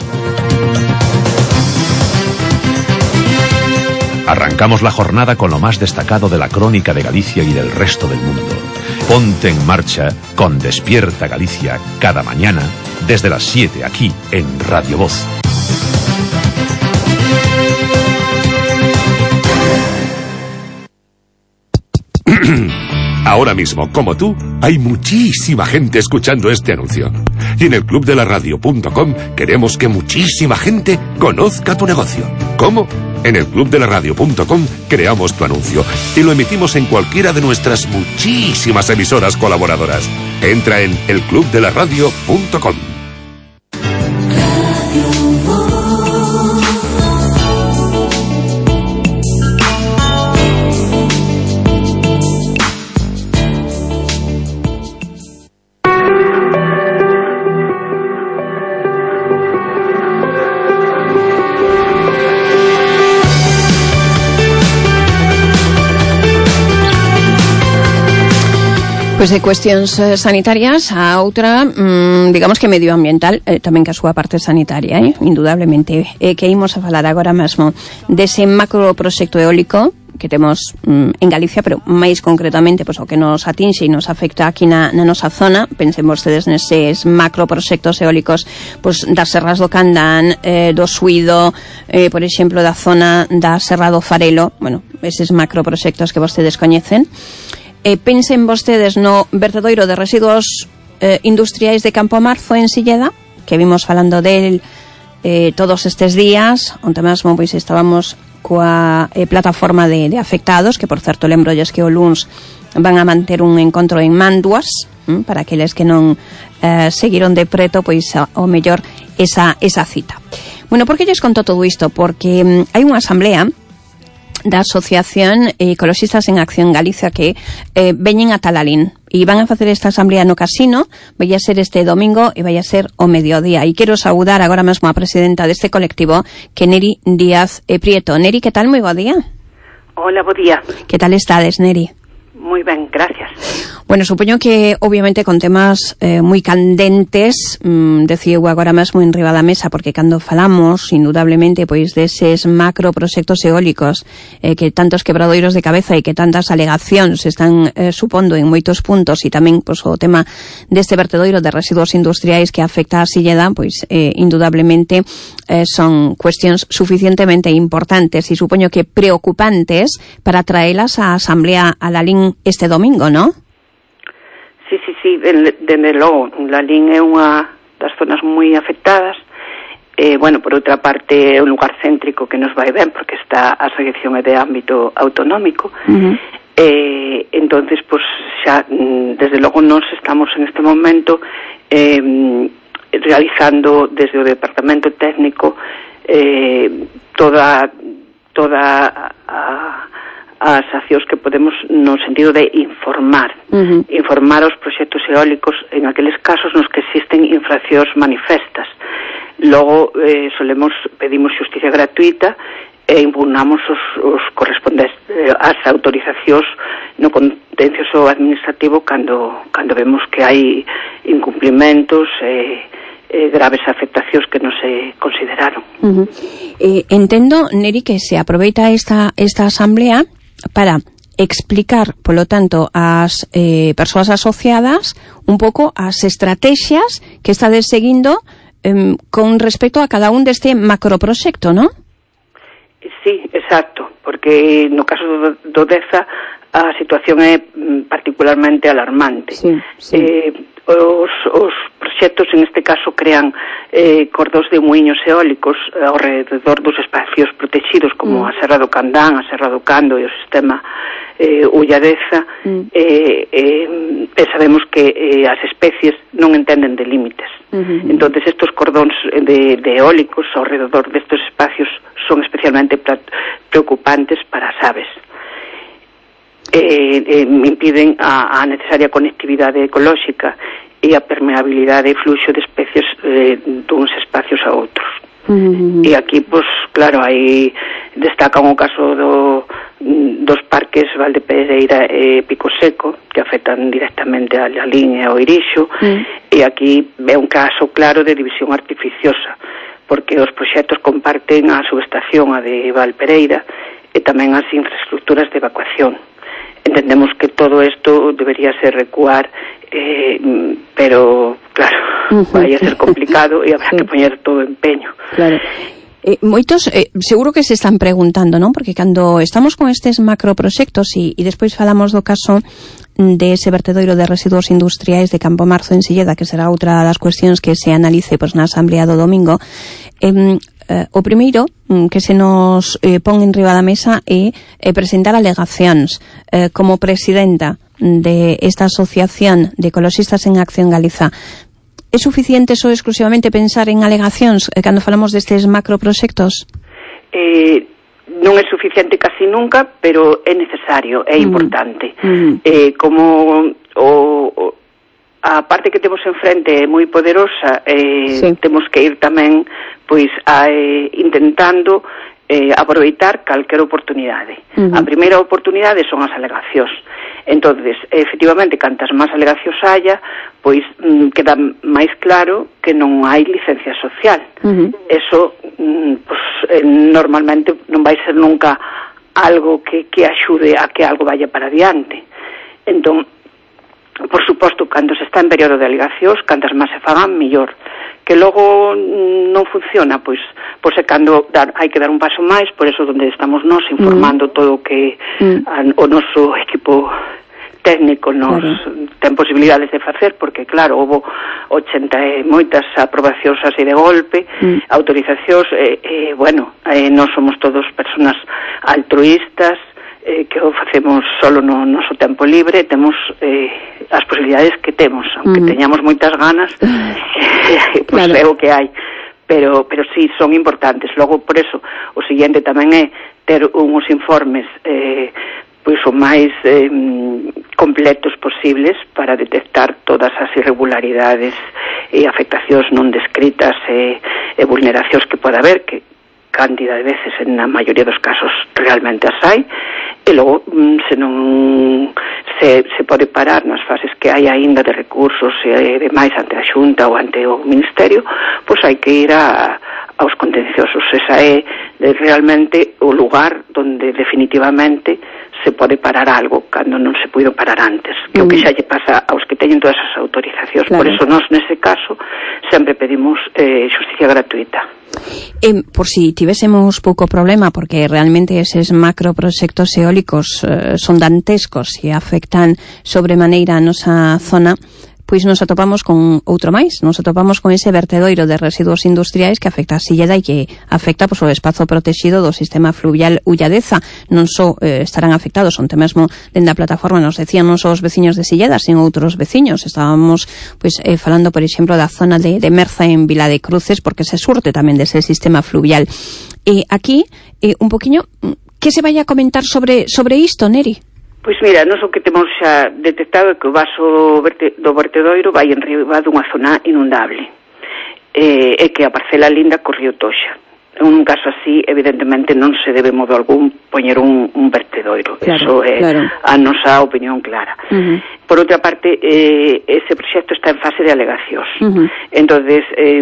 Arrancamos la jornada con lo más destacado de la crónica de Galicia y del resto del mundo. Ponte en marcha con Despierta Galicia cada mañana desde las siete aquí en Radio Voz. Ahora mismo, como tú, hay muchísima gente escuchando este anuncio. Y en el club de la radio punto com queremos que muchísima gente conozca tu negocio. ¿Cómo? En el club de la radio punto com creamos tu anuncio y lo emitimos en cualquiera de nuestras muchísimas emisoras colaboradoras. Entra en el club de la radio punto com. Pois de cuestións eh, sanitarias a outra, mm, digamos que medioambiental, eh, tamén que a súa parte sanitaria, eh, indudablemente, eh, que imos a falar agora mesmo dese macroproxecto eólico que temos mm, en Galicia, pero máis concretamente pois, o que nos atinxe e nos afecta aquí na, na nosa zona. Pensen vostedes neses macroproxectos eólicos pois, das serras do Candán, eh, do Suído, eh, por exemplo, da zona da Serra do Farelo, bueno, eses macroproxectos que vostedes coñecen. Eh, pensen vostedes no vertedoiro de residuos eh, industriais de Campo Marzo en Silleda, que vimos falando del eh, todos estes días, onde mesmo pois estábamos coa eh, plataforma de, de afectados, que por certo lembrolles que o luns van a manter un encontro en Manduas, hm, para aqueles que non eh, seguiron de preto, pois ao mellor esa, esa cita. Bueno, por que lles conto todo isto? Porque hm, hai unha asamblea da Asociación Ecologistas en Acción Galicia que eh, veñen a Talalín e van a facer esta asamblea no casino. Vai a ser este domingo e vai a ser o mediodía, e quero saudar agora mesmo a presidenta deste colectivo, que Neri Díaz e Prieto. Neri, que tal? Moi bo día. Hola, bo día. Que tal estades, Neri? Moi ben, gracias. Bueno, supoño que obviamente con temas eh, moi candentes, mm, decía eu agora mesmo en riba da mesa, porque cando falamos indudablemente pois deses macroproxectos eólicos eh, que tantos quebradoiros de cabeza e que tantas alegacións están eh, supondo en moitos puntos, e tamén pois, o tema deste vertedoiro de residuos industriais que afecta a Silleda, pois eh, indudablemente eh, son cuestións suficientemente importantes e supoño que preocupantes para traelas á Asamblea a Lalín este domingo, ¿no? Sí, sí, sí, dende logo, Lalín é unha das zonas moi afectadas. Eh, bueno, por outra parte, é un lugar céntrico que nos vai ben, porque está a selección é de ámbito autonómico. Uh-huh. Eh, entonces, pues, xa, desde logo, nos estamos en este momento eh, realizando desde o Departamento Técnico eh, toda toda a as accións que podemos no sentido de informar, uh-huh. informar os proxectos eólicos en aqueles casos nos que existen infraccións manifestas. Logo eh, solemos, pedimos xusticia gratuita e impugnamos os, os correspondentes eh, as autorizacións no contencioso administrativo cando, cando vemos que hai incumplimentos e eh, eh, graves afectacións que non se consideraron. Uh-huh. Eh, entendo, Neri, que se aproveita esta, esta asamblea para explicar, polo tanto, ás eh, persoas asociadas un pouco as estrategias que estades seguindo eh, con respecto a cada un deste macroproxecto, non? Sí, exacto, porque no caso do, do Deza a situación é particularmente alarmante. Sí, sí. Eh, os, os proxectos en este caso crean eh, cordós de muiños eólicos ao redor dos espacios protegidos como mm. a Serra do Candán, a Serra do Cando e o sistema eh, Ulladeza mm. eh, eh, e sabemos que eh, as especies non entenden de límites. Mm-hmm. Entonces estos cordóns de, de eólicos ao redor destes espacios son especialmente preocupantes para as aves. Eh, eh, impiden a, a necesaria conectividade ecolóxica e a permeabilidade e fluxo de especies eh, duns espacios a outros. Uh-huh. E aquí, pues, claro, aí destacan o caso do, dos parques Valdepereira e Pico Seco, que afectan directamente a Lalín e ao Irixo, uh-huh. e aquí é un caso claro de división artificiosa, porque os proxectos comparten a subestación, a de Valpereira, e tamén as infraestructuras de evacuación. Entendemos que todo isto debería ser recuar, eh, pero, claro, uh-huh. vai a ser complicado e habrá sí. que poñer todo empeño. Claro. Eh, moitos, eh, seguro que se están preguntando, non? Porque cando estamos con estes macroproxectos e, e despois falamos do caso de ese vertedoiro de residuos industriais de Campo Marzo en Silleda, que será outra das cuestións que se analice pois, na asamblea do domingo, eh, eh, o primeiro que se nos eh, pon en riba da mesa é eh, presentar alegacións. Eh, como presidenta de esta Asociación de Ecologistas en Acción Galiza, é suficiente só exclusivamente pensar en alegacións eh, cando falamos destes macroproxectos? Eh, non é suficiente casi nunca, pero é necesario, é importante. Mm. Eh, como o, o, a parte que temos enfrente é moi poderosa, eh, sí. temos que ir tamén pois a, eh, intentando eh, aproveitar calquera oportunidade. Uh-huh. A primeira oportunidade son as alegacións. Entonces, efectivamente, cantas máis alegacións haya, pois mm, queda máis claro que non hai licencia social. Uh-huh. Eso, mm, pues, eh, normalmente non vai ser nunca algo que, que axude a que algo vaya para adiante. Entón, por suposto, cando se está en período de alegacións, cantas máis se fagan, mellor. Que logo non funciona, pois, pois é cando dar, hai que dar un paso máis, por eso donde estamos nós informando mm. todo o que mm. a, o noso equipo técnico nos claro. ten posibilidades de facer, porque claro, houve ochenta e moitas aprobacións así de golpe, mm. autorizacións, e, eh, bueno, eh, nós somos todos personas altruístas, eh, que o facemos solo no noso tempo libre, temos eh, as posibilidades que temos, aunque mm. teñamos moitas ganas, eh, pois pues claro. é o que hai. Pero, pero sí, son importantes. Logo, por eso, o seguinte tamén é ter uns informes eh, pois o máis eh, completos posibles para detectar todas as irregularidades e afectacións non descritas e, e vulneracións que poda haber, que cantidad de veces en a maioría dos casos realmente as hai, e logo se non se, se pode parar nas fases que hai aínda de recursos e demais ante a Xunta ou ante o Ministerio, pois hai que ir a, aos contenciosos. Esa é realmente o lugar donde definitivamente se pode parar algo cando non se puido parar antes, que mm. o que xa lle pasa aos que teñen todas as autorizacións. Claro. Por eso nós nese caso sempre pedimos eh, xusticia gratuita. Eh, por si tivésemos pouco problema, porque realmente eses macroproxectos eólicos eh, son dantescos e afectan sobremaneira a nosa zona, pois nos atopamos con outro máis, nos atopamos con ese vertedoiro de residuos industriais que afecta a Silleda e que afecta pois, o espazo protegido do sistema fluvial Ulladeza. Non só eh, estarán afectados, onte mesmo dende a plataforma nos decían non só os veciños de Silleda, sino outros veciños. Estábamos pois eh, falando, por exemplo, da zona de, de Merza en Vila de Cruces, porque se surte tamén dese sistema fluvial. E aquí, eh, un poquinho, que se vai a comentar sobre, sobre isto, Neri? Pois mira, nós o que temos xa detectado é que o vaso verte, do vertedoiro vai enriba dunha zona inundable, e, e que a parcela linda corrió Toxa. En un caso así, evidentemente, non se debe modo algún poñer un, un vertedoiro. Claro, eso é claro. a nosa opinión clara. Uh-huh. Por outra parte, eh, ese proxecto está en fase de alegacións. Uh-huh. Entonces, eh,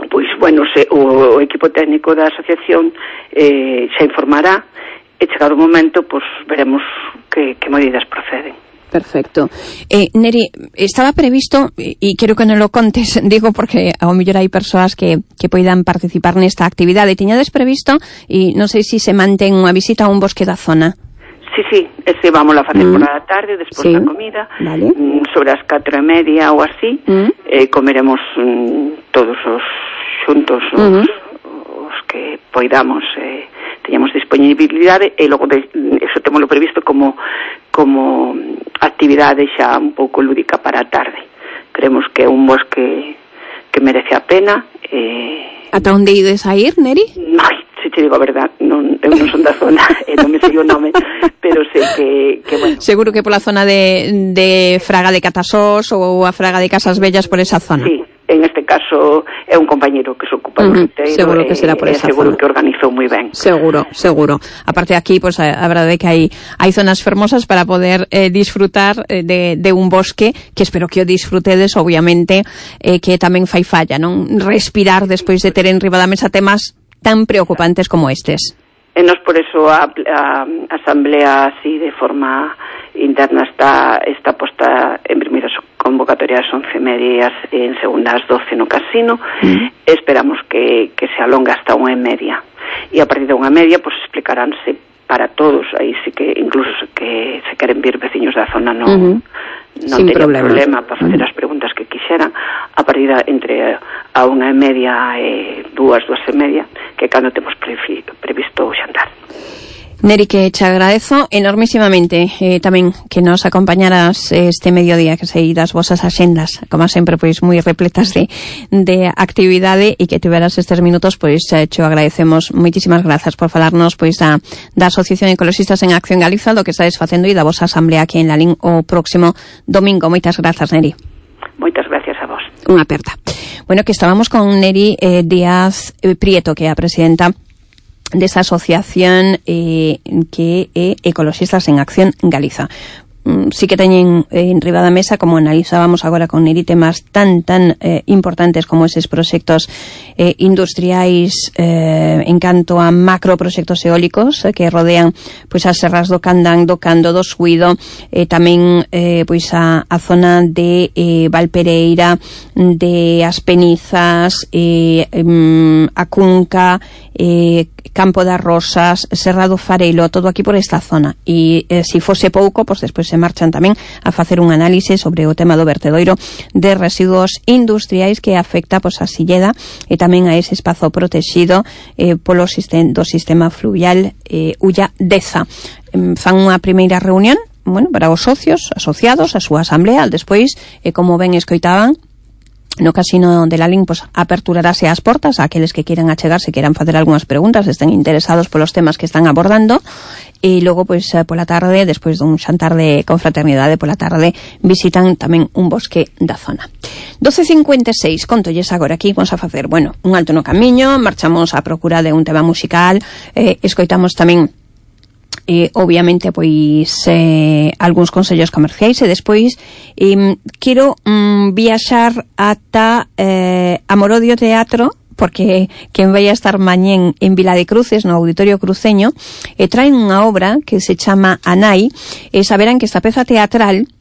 pois, bueno, se, o, o equipo técnico da asociación eh, xa informará. E chegado o momento, pois veremos que, que medidas proceden. Perfecto. Eh, Neri, estaba previsto, e quero que non lo contes, digo porque ao mellor hai persoas que, que poidan participar nesta actividade. Tiñades previsto, e non sei se se mantén unha visita a un bosque da zona. Sí, sí, ese vamos a facer mm. por a tarde, despois sí. da comida, vale. sobre as catro e media ou así, mm. eh, comeremos mm, todos os xuntos, os, mm. os que poidamos... Eh, teñamos disponibilidade e logo de, eso temos lo previsto como como actividade xa un pouco lúdica para a tarde. Creemos que é un bosque que merece a pena. Eh... Ata onde ides a ir, Neri? Ai, se te digo a verdad, non, eu non son da zona e non me sei o nome, pero sei que, que bueno. Seguro que pola zona de, de Fraga de Catasós ou a Fraga de Casas Bellas, por esa zona. Sí. En este caso é un compañeiro que se ocupa do uh-huh. roteiro, seguro que será por esa seguro zona. Que organizou moi ben. Seguro, seguro. Aparte aquí, pues a, a verdade é que hai hai zonas fermosas para poder eh, disfrutar eh, de, de un bosque, que espero que o disfrutedes, obviamente, eh, que tamén fai falla, non? Respirar despois de ter en riba da mesa temas tan preocupantes como estes. E nos por eso a, a, a asamblea así de forma interna está está posta en primeira convocatoria ás once e media e en segunda ás doce no casino. Mm. Esperamos que, que se alonga hasta unha e media, e a partir de unha e media pues explicaránse para todos, aí sí que incluso que se queren vir veciños da zona non, uh-huh. non teñen problema. problema para facer uh-huh. as preguntas que quixeran a partir de, entre a unha e media e dúas, dúas e media, que cando temos previsto, previsto o xantar. Neri, que te agradezo enormísimamente eh, tamén que nos acompañaras este mediodía, que sei das vosas axendas, como sempre, pois moi repletas de, de actividade, e que tiveras estes minutos, pois te agradecemos. Moitísimas grazas por falarnos pois da, da Asociación Ecologistas en Acción Galiza, do que estades facendo, e da vosa asamblea aquí en Lalín o próximo domingo. Moitas grazas, Neri. Moitas gracias a vos. Unha aperta. Bueno, que estábamos con Neri eh, Díaz Prieto, que é a presidenta desa asociación eh, que é Ecologistas en Acción Galiza. Mm, sí que teñen eh, en riba da mesa, como analizábamos agora con Neri, temas tan tan eh, importantes como eses proxectos eh, industriais eh, en canto a macroproxectos eólicos eh, que rodean pois as serras do Candán, do Cando, do Suído, eh, tamén eh, pois a, a zona de eh, Valpereira, de As Penizas, eh, eh, a Cunca, eh, Campo das Rosas, Serra do Farelo, todo aquí por esta zona. E eh, se fose pouco, pois despois se marchan tamén a facer un análise sobre o tema do vertedoiro de residuos industriais que afecta pois a Silleda e tamén a ese espazo protegido eh, polo sistema, do sistema fluvial eh, Ulla Deza. Eh, fan unha primeira reunión, bueno, para os socios asociados a súa asamblea, despois, eh, como ben escoitaban, no Casino de Lalín, pues aperturarase as portas a aqueles que quieran achegarse, quieran facer algunhas preguntas, estén interesados polos temas que están abordando, e logo, pois, pola tarde, despois dun xantar de confraternidade pola tarde, visitan tamén un bosque da zona. doce cincuenta e seis, contolles agora aquí, vamos a facer, bueno, un alto no camiño, marchamos a procura de un tema musical, eh, escoitamos tamén Eh, obviamente pois eh, algúns consellos comerciais e despois eh, quero mm, viaxar ata eh, Amorodio Teatro, porque quen vai a estar mañén en Vila de Cruces, no Auditorio Cruceño, e traen unha obra que se chama Anai, e saberán que esta peza teatral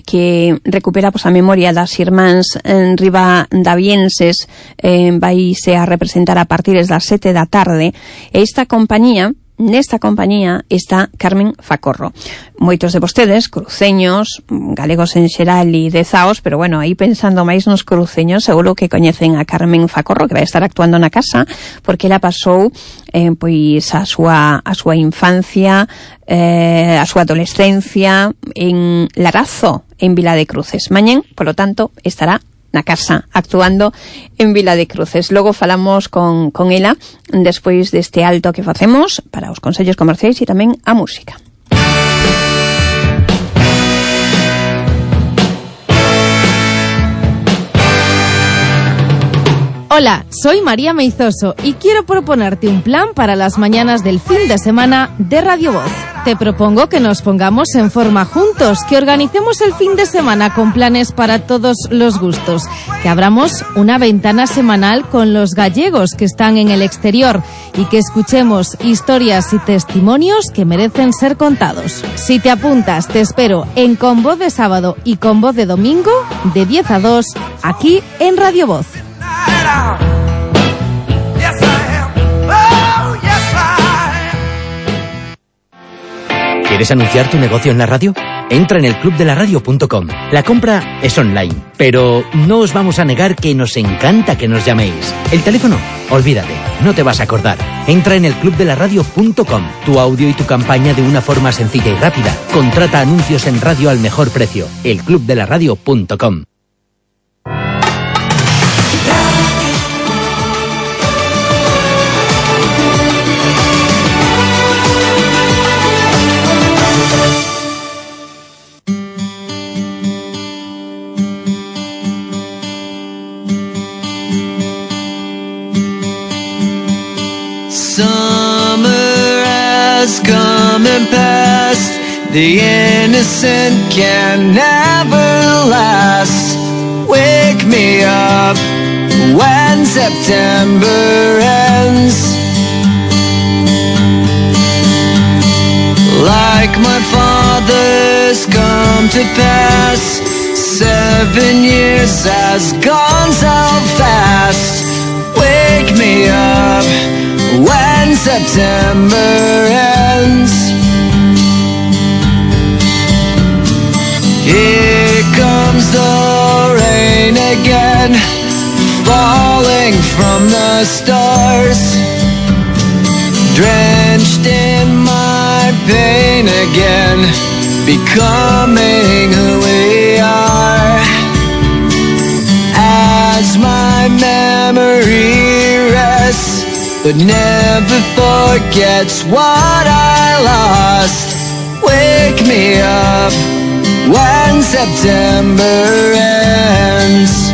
que recupera pois, a memoria das irmáns en ribadavienses eh, vaise a representar a partir das sete da tarde, e esta compañía Nesta compañía está Carmen Facorro. Moitos de vostedes, cruceños, galegos en xeral e dezaos, pero bueno, aí pensando máis nos cruceños, seguro que coñecen a Carmen Facorro, que vai estar actuando na casa, porque ela pasou eh, pois a súa a súa infancia, eh, a súa adolescencia en Larazo, en Vila de Cruces. Mañén, polo tanto, estará na casa, actuando en Vila de Cruces. Logo falamos con, con ela despois deste alto que facemos para os consellos comerciais e tamén a música. Hola, soy María Meizoso y quiero proponerte un plan para las mañanas del fin de semana de Radio Voz. Te propongo que nos pongamos en forma juntos, que organicemos el fin de semana con planes para todos los gustos, que abramos una ventana semanal con los gallegos que están en el exterior y que escuchemos historias y testimonios que merecen ser contados. Si te apuntas, te espero en Con Voz de sábado y Con Voz de domingo, de diez a dos, aquí en Radio Voz. ¿Quieres anunciar tu negocio en la radio? Entra en el club de la radio punto com. La compra es online, pero no os vamos a negar que nos encanta que nos llaméis. El teléfono, olvídate, no te vas a acordar. Entra en el club de la radio punto com. Tu audio y tu campaña de una forma sencilla y rápida. Contrata anuncios en radio al mejor precio. el club de la radio punto com. Summer has come and passed. The innocent can never last. Wake me up when September ends. Like my father's come to pass. Seven years has gone so fast. Wake me up when September ends. Here comes the rain again, falling from the stars, drenched in my pain again, becoming who we are. As my memory rests, but never forgets what I lost. Wake me up when September ends.